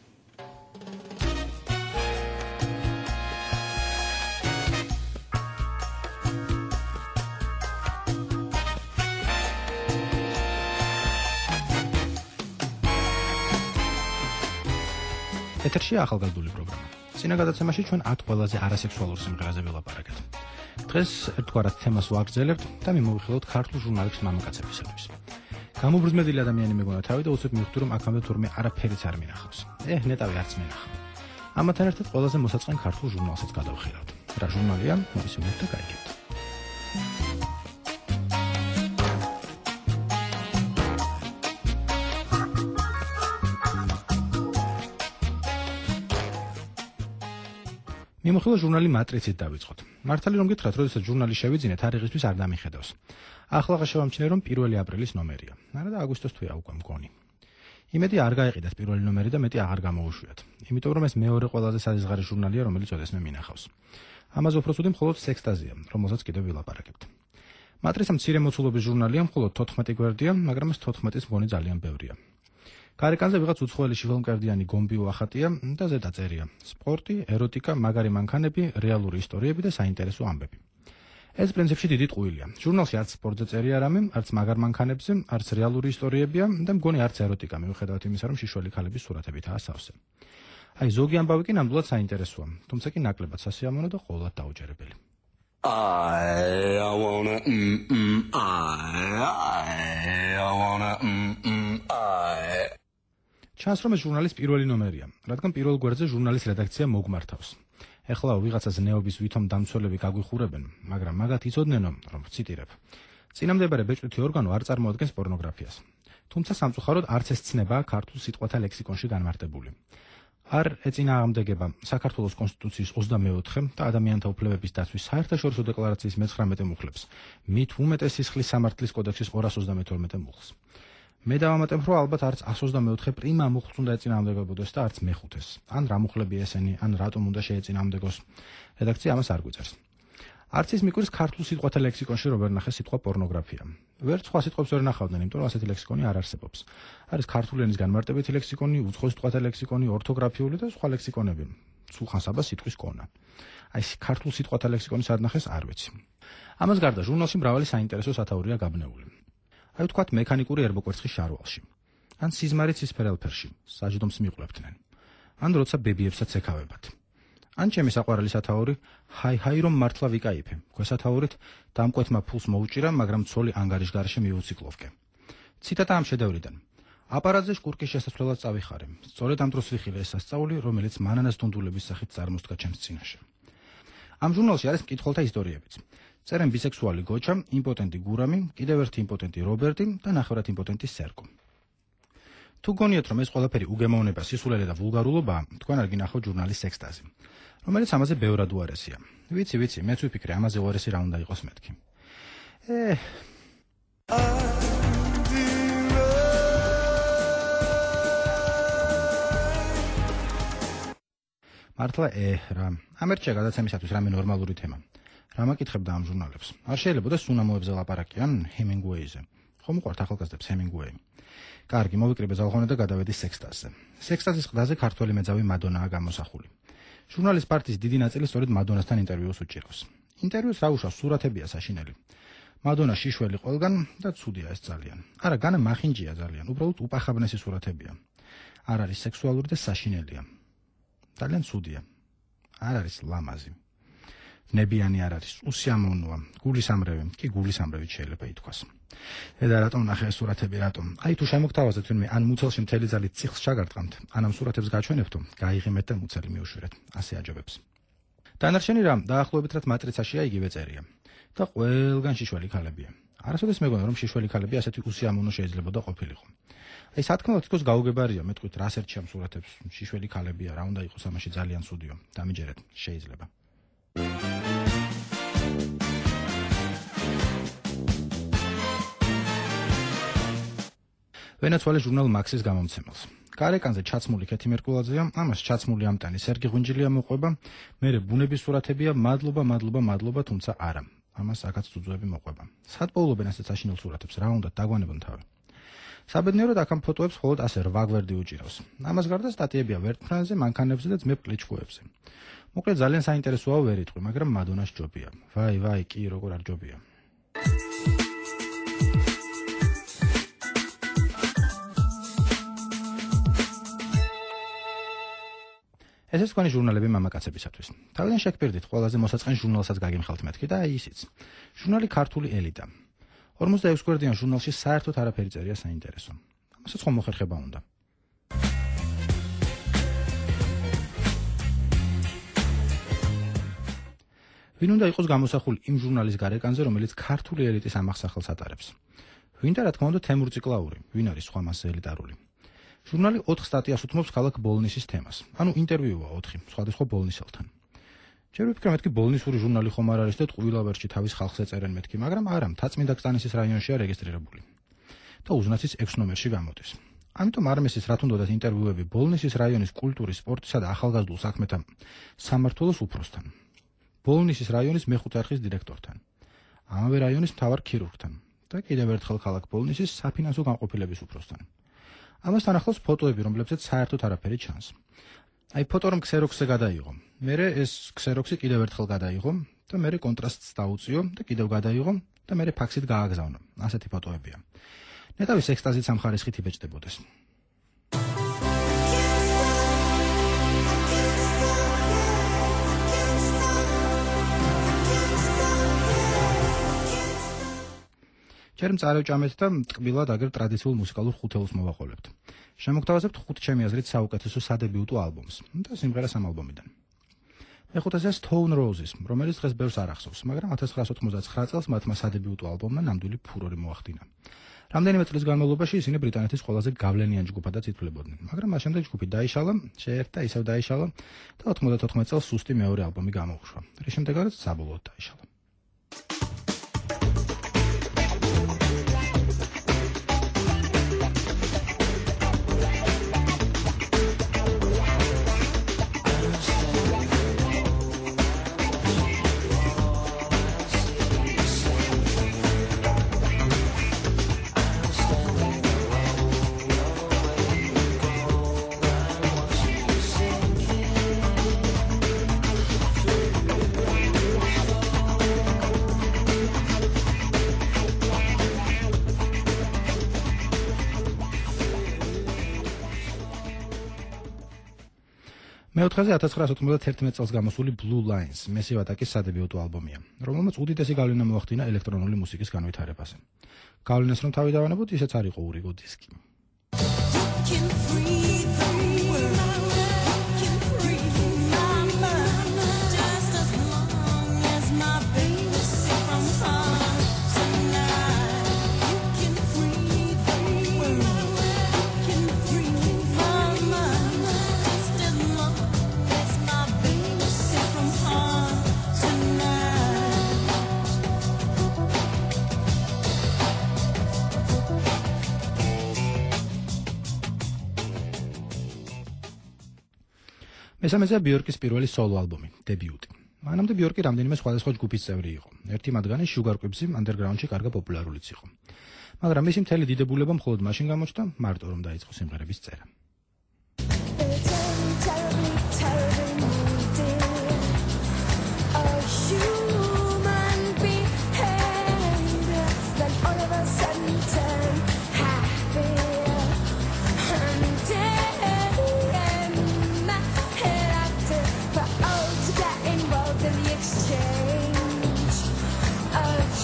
ეთერში ახალგაზრდული პროგრამა. წინა გადაცემაში ჩვენ 10 ყველაზე არასექსუალურ სიმღერაზე ველაპარაკეთ. დღეს ერთგვარად თემას ვაგრძელებთ და მიმოვიხილოთ ქართულ ჟურნალებს მამაკაცებისათვის. გამობრძმედილი ადამიანი მეგონა თავი და უცებ მივხვდი რომ აქამდე თურმე არაფერიც არ მინახავს. ნეტავი არც მინახავ. ამათთან ერთად ყველაზე მოსაწყენ ქართულ ჟურნალსაც გადავხილავთ. რა ჟურნალია? მოვისმინოთ და გაიგებთ. მიმოხილვა ჟურნალი მატრიცით დავიწყოთ. მართალი რომ გითხრათ, როდესაც ჟურნალი შევიძინეთ, არიღისთვის არ დამიხედავს. ახლა შევამჩნე რომ 1 აპრილის ნომერია. არა და აგვისტოს თვეა უკვე მგონი. იმედი არ გაიყიდათ 1 ნომერი და მეტი აღარ გამოუშვიათ. იმიტომ რომ ეს მეორე ყველაზე საზღარი ჟურნალია, რომელიც ოდესმე მინახავს. ამაზე უფრო ცუდი მხოლოდ სექსტაზია, რომელსაც კიდევ ვილაპარაკებთ. მატრიცა მცირე მოცულობის ჟურნალია, მხოლოდ 14 გვერდია, მაგრამ ეს 14-ის მგონი ძალიან ბევრია. გარეკანზე ვიღაც უცხოელი შიფელმკერდიანი გომბიო ახატია და ზედა წერია: სპორტი, ეროტიკა, მაგარი მანქანები, რეალური ისტორიები და საინტერესო ამბები. ეს პრინციპში დიდი ტყუილია. ჟურნალში არც სპორტზე წერია რამე, არც მაგარ მანქანებზე, არც რეალური ისტორიებია და მგონი არც ეროტიკა, მიუხედავად იმისა, რომ შიშველი ქალების სურათებითაა სავსე. აი ზოგი ამბავი კი ნამდვილად საინტერესოა, თუმცა კი ნაკლებად სასიამოვნო და ყოველად დაუჯერებელი. ჩანს რომ ეს ჟურნალის პირველი ნომერია, რადგან პირველ გვერდზე ჟურნალის რედაქცია მოგმართავს. ეხლა ვიღაცას ნეობის ვითომ დამცველები გაგვიხურებენ, მაგრამ მაგათ იცოდნენ რომ ვციტირებ. წინამდებარე ბეჭდვითი ორგანო არ წარმოადგენს პორნოგრაფიას. თუმცა სამწუხაროდ არც ეს ცნებაა ქართულ სიტყვათა ლექსიკონში განმარტებული. არ ეწინააღმდეგება საქართველოს კონსტიტუციის 24 და ადამიანთა უფლებების დაცვის საერთაშორისო დეკლარაციის მე-19 მუხლებს, მით უმეტეს სისხლის სამართლის კოდექსის 232 მუხლს. მე დავამატებ, რომ ალბათ არც 124 პრიმა მუხლს უნდა ეწინააღმდეგებოდეს და არც მე-5-ს. ან რა მუხლები ესენი, ან რატომ უნდა შეეწინააღმდეგოს. რედაქცია ამას არ გვიწერს. არც ის მიკვირს ქართულ სიტყვათა ლექსიკონში რომ ვერ ნახეს სიტყვა პორნოგრაფია. ვერც სხვა სიტყვებს ვერ ნახავდნენ, იმიტომ რომ ასეთი ლექსიკონი არ არსებობს. არის ქართული ენის განმარტებითი ლექსიკონი, უცხო სიტყვათა ლექსიკონი, ორთოგრაფიული და სხვა ლექსიკონები. სულხან-საბას სიტყვის კონა. აი ქართულ სიტყვათა ლექსიკონი სად ნახეს არ ვიცი. ამას გარდა ჟურნალში მრავალი საინტერესო სათაურია გაბნეული. აი ვთქვათ მექანიკური ერბოკვერცხის შარვალში. ან სიზმარი ცისფერელფერში, საჯდომს მიყლებდნენ. ან როცა ბებიებსაც ეკავებათ. ან ჩემი საყვარელი სათაური, ჰაი რომ მართლა ვიკაიფე. ქვესათაურით დამკვეთმა ფულს მოუჭირა, მაგრამ ცოლი ანგარიშგარში მივუციკლოვკე. ციტატა ამ შედევრიდან. აპარატზე შკურკის შესასვლელად წავიხარე. სწორედ ამ დროს ვიხილე ეს სასწაული, რომელიც მანანას დუნდულების სახით წარმოსდგა ჩემს წინაშე. ამ ჟურნალში არის მკითხველთა ისტორიებიც. წერენ ბისექსუალი გოჩა, იმპოტენტი გურამი, კიდევ ერთი იმპოტენტი რობერტი და ნახევრად იმპოტენტი სერგო. თუ გონიათ რომ ეს ყველაფერი უგემოვნება, სისულელე და ვულგარულობაა, თქვენ არ გინახავთ ჟურნალის სექსტაზი, რომელიც ამაზე ბევრად უარესია. ვიცი, მეც ვიფიქრე ამაზე უარესი რა უნდა იყოს მეთქი. მართლა რა. ამ ერთია გადაცემისათვის რამე ნორმალური თემა. რა მაკითხებდა ამ ჟურნალებს? არ შეიძლებოდა სუნამოებზე ლაპარაკიან ჰემინგუეიზე. ხომ უყვართ ახალგაზრდებს ჰემინგუეი? კარგი, მოვიკრიბე ზალღონე და გადავედი სექსტაზზე. სექსტაზის ყდაზე ქართველი მეძავი მადონაა გამოსახული. ჟურნალის პარტიის დიდი ნაწილი სწორედ მადონასთან ინტერვიუს უჭირავს. ინტერვიუს რა უშავს, სურათებია საშინელი. მადონა შიშველი ყველგან და ცუდია ეს ძალიან. არა, განა მახინჯია ძალიან, უბრალოდ უპახაბნესი სურათებია. არ არის სექსუალური და საშინელია. ძალიან ცუდია. არ არის ლამაზი. ნებიანი არ არის, უსიამოვნოა, გულისამრევი, კი გულისამრევით შეიძლება ითქვას. და რატომ ნახე ეს სურათები, რატომ? აი თუ შემოგთავაზეთ ვინმე ან მუცელში მთელი ძალით ციხს ჩაგარტყამთ, ან ამ სურათებს გაჩვენებთო, გაიღიმეთ და მუცელი მიუშვირეთ. ასე აჯობებს. დანარჩენი რამ დაახლოებით რაც მატრიცაშია იგივე წერია. და ყველგან შიშველი ქალებია. არასოდეს მეგონა რომ შიშველი ქალები ასეთი უსიამოვნო შეიძლებოდა ყოფილიყო. აი სათქმელად თქოს გაუგებარია, მე თქვით რას ერჩი ამ სურათებს, შიშველი ქალებია, რა უნდა იყოს ამაში ძალიან ცუდიო. დამიჯერეთ, შეიძლება. ვენაცვალე ჟურნალ მაქსის გამომცემელს. გარეკანზე ჩაცმული ქეთი მერკულაძეა, ამას ჩაცმული ამტანი სერგი ღვინჯილია მოყვება, მერე ბუნების სურათებია, მადლობა, თუმცა არა. ამას აქაც ძუძუები მოყვება. სად პოულობენ ასეთ საშინელ სურათებს, რა უნდა დაგვანებონ თავი. საბედნიეროდ აქ ამ ფოტოებს მხოლოდ ასე 8 გვერდი უჭირავს. ამას გარდა სტატიებია ვერტფრენზე, მანქანებზე და ძმებ კლიჩკოებზე. მოკლედ ძალიან საინტერესოა ვერ იტყვი, მაგრამ მადონას ჯობია. ვაი, კი როგორ არ ჯობია. ეს თქვენი ჟურნალები მამაკაცებისათვის. თავიდან შეგპირდით, ყველაზე მოსაწყენ ჟურნალსაც გაგიმხელთ მეთქი და აი ისიც. ჟურნალი ქართული ელიტა. 46 გვერდიან ჟურნალში საერთოდ არაფერი წერია საინტერესო. ამასაც ხომ მოხერხება უნდა. ვინ უნდა იყოს გამოსახული იმ ჟურნალის გარეკანზე, რომელიც ქართული ელიტის ამახსახელს ატარებს? ვინ და რა თქმა უნდა თემურ ციკლაური, ვინ არის სხვა მასზე ელიტარული? ჟურნალი 4 სტატიას უთმობს ქალაქ ბოლნისის თემას. ანუ ინტერვიუა 4 სხვადასხვა ბოლნისელთან. ჯერ ვიფიქრე მეთქი ბოლნისური ჟურნალი ხომ არ არის და ტყუილავერში თავის ხალხს ეწერენ მეთქი, მაგრამ არა, მთაწმინდა კსტანისის რაიონშია რეგისტრირებული. და უზნაცის 6 ნომერში გამოდის. ამიტომ არმესის რა თუნდაც ინტერვიუები ბოლნისის რაიონის კულტურის, სპორტისა და ახალგაზრდულ საქმეთა სამმართველოს უფროსთან. ბოლნისის რაიონის მეხუთე არხის დირექტორთან. ამავე რაიონის მთავარ ქირურგთან და კიდევ ერთხელ ქალაქ ბოლნისის საფინანსო განყოფილების უფროსთან. ამასთან ახლავს ფოტოები, რომლებზეც საერთოდ არაფერი ჩანს. აი ფოტო რომ ქსეროქსზე გადაიღო. მერე ეს ქსეროქსი კიდევ ერთხელ გადაიღო და მერე კონტრასტს დაუწიო და კიდევ გადაიღო და მერე ფაქსით გააგზავნო. ასეთი ფოტოებია. ნეტავის ექსტაზით სამხარისხით იბეჭდებოდეს. ჯერ მწარევჭამეთ და ტკბილად აგერ ტრადიციულ მუსიკალურ ხუთეულს მოვაყოლებთ. შემოგთავაზებთ 5 ჩემი აზრით საუკეთესო სადებიუტო ალბომს და სიმღერას ამ ალბომიდან. მეხუთესია Stone Roses, რომელიც დღეს ბევრს არ ახსოვს, მაგრამ 1999 წელს მათმა სადებიუტო ალბომმა ნამდვილი ფურორი მოახდინა. რამდენიმე წლის განმავლობაში ისინი ბრიტანეთის ყველაზე გავლენიან ჯგუფადაც ითვლებოდნენ, მაგრამ მას შემდეგ ჯგუფი დაიშალა, შეერთა ისევ დაიშალა და 94 წელს სუსტი მეორე ალბომი გამოუშვა, რის შემდეგაც საბოლოოდ დაიშალა. მეოთხეზე 1991 წელს გამოსული Blue Lines Massive Attack-ის სადებიუტო ალბომია, რომელმაც უდიდესი გავლენა მოახდინა ელექტრონული მუსიკის განვითარებაზე. გავლენას რომ თავი დავანებოთ, ისეც არ იყო ურიგო დისკი. მესამეზეა ბიორკის პირველი სოლო ალბომი, დებიუტი. მანამდე ბიორკი რამდენიმე სხვადასხვა ჯგუფის წევრი იყო. ერთი მათგანი Sugar Cubes underground-ში კარგა პოპულარულიც იყო. მაგრამ მისი მთელი დიდებულება მხოლოდ მაშინ გამოჩნდა, მარტო რომ დაიწყო სიმღერების წერა.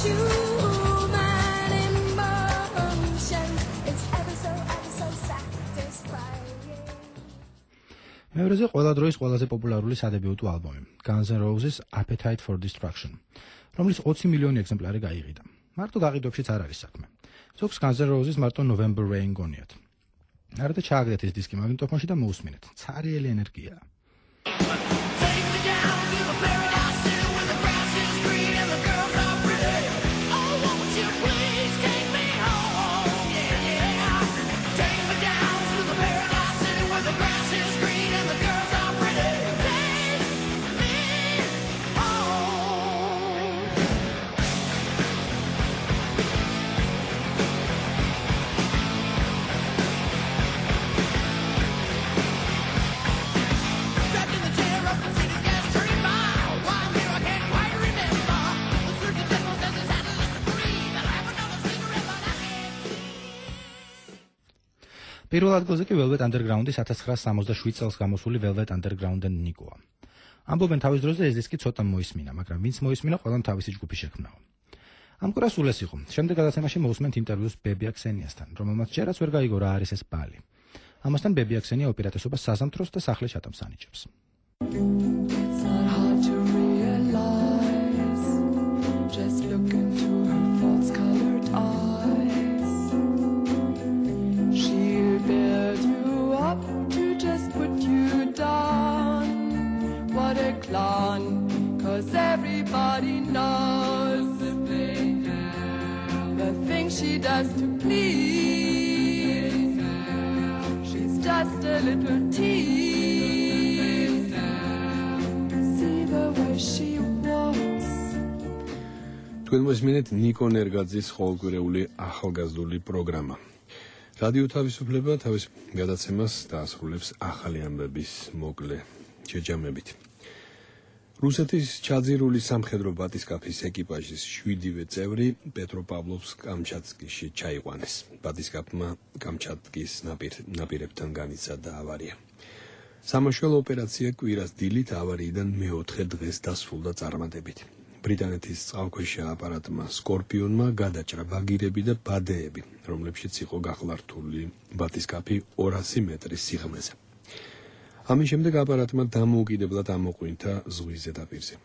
მეორეზე ყველა დროის ყველაზე პოპულარული სადებიუტო ალბომი, Guns N' Roses' Appetite for Destruction, რომლის 20 მილიონი ეგზემპლარი გაიყიდა. მარტო გაყიდვებშიც არ არის საქმე. ზოგს Guns N' Roses მარტო November Rain გონიათ. არადა ჩააგდეთ ეს დისკი მაგნიტოფონში და მოусმინეთ. ცარიელი ენერგია. პირველ ადგილზე კი Velvet Underground-ის 1967 წელს გამოსული Velvet Underground-ენ ნიკოა. ამბობენ თავის დროზე ეს დისკი ცოტა მოისმინა, მაგრამ ვინც მოისმინა, ყველამ თავისი ჯგუფი შექმნაო. ამ კვირას სულ ეს იყო. შემდეგ გადაცემაში მოусმენთ ინტერვიუს ბებია ქსენიასთან, რომელმაც ჯერაც ვერ გაიგო რა არის ეს ბალი. ამასთან ბებია ქსენია ოპერატესობას საზამთროს და სახლე ჩატამს ანიჭებს. Cause everybody knows the things she does to please. She's just a little tease. See the way she walks. თქვენ მოსმენთ ნიკო ნერგაძის ყოველკვირეული ახალგაზრდული პროგრამა. რადიო თავისუფლება თავის გადაცემას დაასრულებს ახალი ამბების მოკლე შეჯამებით. რუსეთის ჩაძირული სამხედრო ბატისკაფის ეკიპაჟის 7-ვე წევრი პეტროპავლოვსკ-კამჩატკიში ჩაიყვანეს. ბატისკაფმა კამჩატკის ნაპირებთან განიცადა ავარია. სამაშველო ოპერაცია კვირას დილით ავარიიდან მეოთხე დღეს დასრულდა წარმატებით. ბრიტანეთის წყალქვეშა აპარატმა სკორპიონმა გადაჭრა ბაგირები და ბადეები, რომლებშიც იყო გახლართული ბატისკაფი 200 მეტრის სიღრმეზე. ამის შემდეგ აპარატმა დამოუკიდებლად ამოყვინთა ზღვის ზედაპირზე.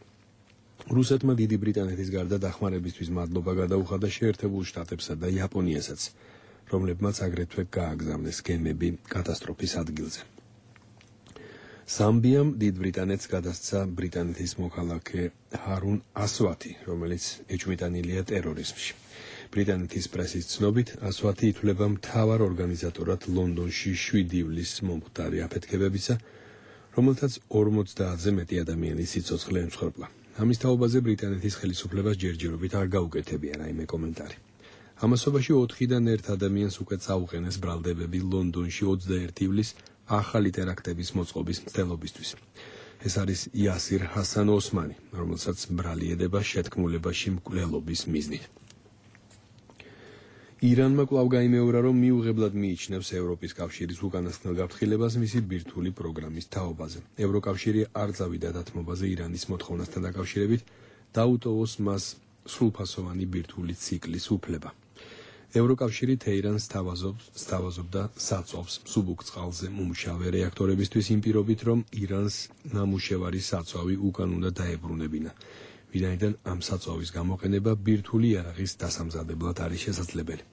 რუსეთმა დიდი ბრიტანეთის გარდა დახმარებისთვის მადლობა გადაუხადა შეერთებულ შტატებსა და იაპონიასაც, რომლებმაც აგრეთვე გააგზავნეს გემები კატასტროფის ადგილზე. ზამბიამ დიდ ბრიტანეთს გადასცა ბრიტანეთის მოქალაქე ჰარუნ ასვათი, რომელიც ეჭვმიტანილია ტერორიზმში. ბრიტანეთის პრესის ცნობით, ასვათი ითვლება მთავარ ორგანიზატორად ლონდონში 7 ივლისს მომხდარი აფეთქებებისა, რომელთაც 50-ზე მეტი ადამიანის სიცოცხლე ემსხვერპლა. ამის თაობაზე ბრიტანეთის ხელისუფლებას ჯერჯერობით არ გაუკეთებია რაიმე კომენტარი. ამასობაში 4-დან 1 ადამიანს უკვე წაუყენეს ბრალდებები ლონდონში 21 ივლისს ახალი ტერაქტების მოწყობის მცდელობისთვის. ეს არის იასირ ჰასან ოსმანი, რომელსაც ბრალი ედება შეთქმულებაში მკვლელობის მიზნით. ირანმა კვლავ გაიმეორა, რომ მიუღებლად მიიჩნევს ევროპის კავშირის უკანასკნელ გაფრთხილებას მისი ბირთვული პროგრამის თაობაზე. ევროკავშირი არ წავიდა დათმობაზე ირანის მოთხოვნასთან დაკავშირებით, დაუტოვოს მას სრულფასოვანი ბირთვული ციკლის უფლება. ევროკავშირი თეირანს სთავაზობდა საწვავს მსუბუქ წყალზე მომუშავე რეაქტორებისთვის იმ პირობით, რომ ირანს ნამუშევარი საწვავი უკან უნდა დაებრუნებინა. ვინაიდან ამ საწვავის გამოყენება ბირთვული იარაღის დასამზადებლად არის შესაძლებელი.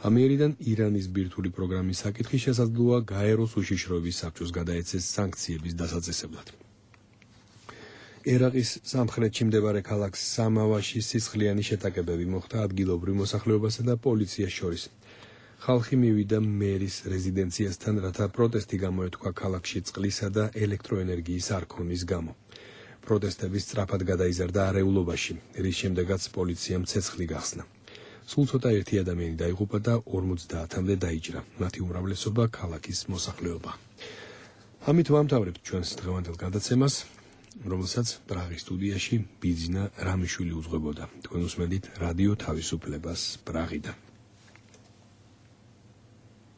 ამიერიდან ირანის ბირთვული პროგრამის საკითხი შესაძლოა გაეროს უშიშროების საბჭოს გადაეცეს სანქციების დასაწესებლად. ერაყის სამხრეთში მდებარე ქალაქ სამავაში სისხლიანი შეტაკებები მოხდა ადგილობრივ მოსახლეობასა და პოლიციას შორის. ხალხი მივიდა მერის რეზიდენციასთან, რათა პროტესტი გამოეთქვა ქალაქში წყლისა და ელექტროენერგიის არქონის გამო. პროტესტები სწრაფად გადაიზარდა არეულობაში, რის შემდეგაც პოლიციამ ცეცხლი გახსნა. სულ ცოტა ერთი ადამიანი დაიღუპა და 50-მდე დაიჭრა. მათი უმრავლესობა ქალაქის მოსახლეობა. ამით ვამთავრებთ ჩვენს დღევანდელ გადაცემას, რომელსაც პრაღის სტუდიაში ბიძინა რამიშვილი უძღვებოდა. თქვენ უსმენთ რადიო თავისუფლებას პრაღიდან.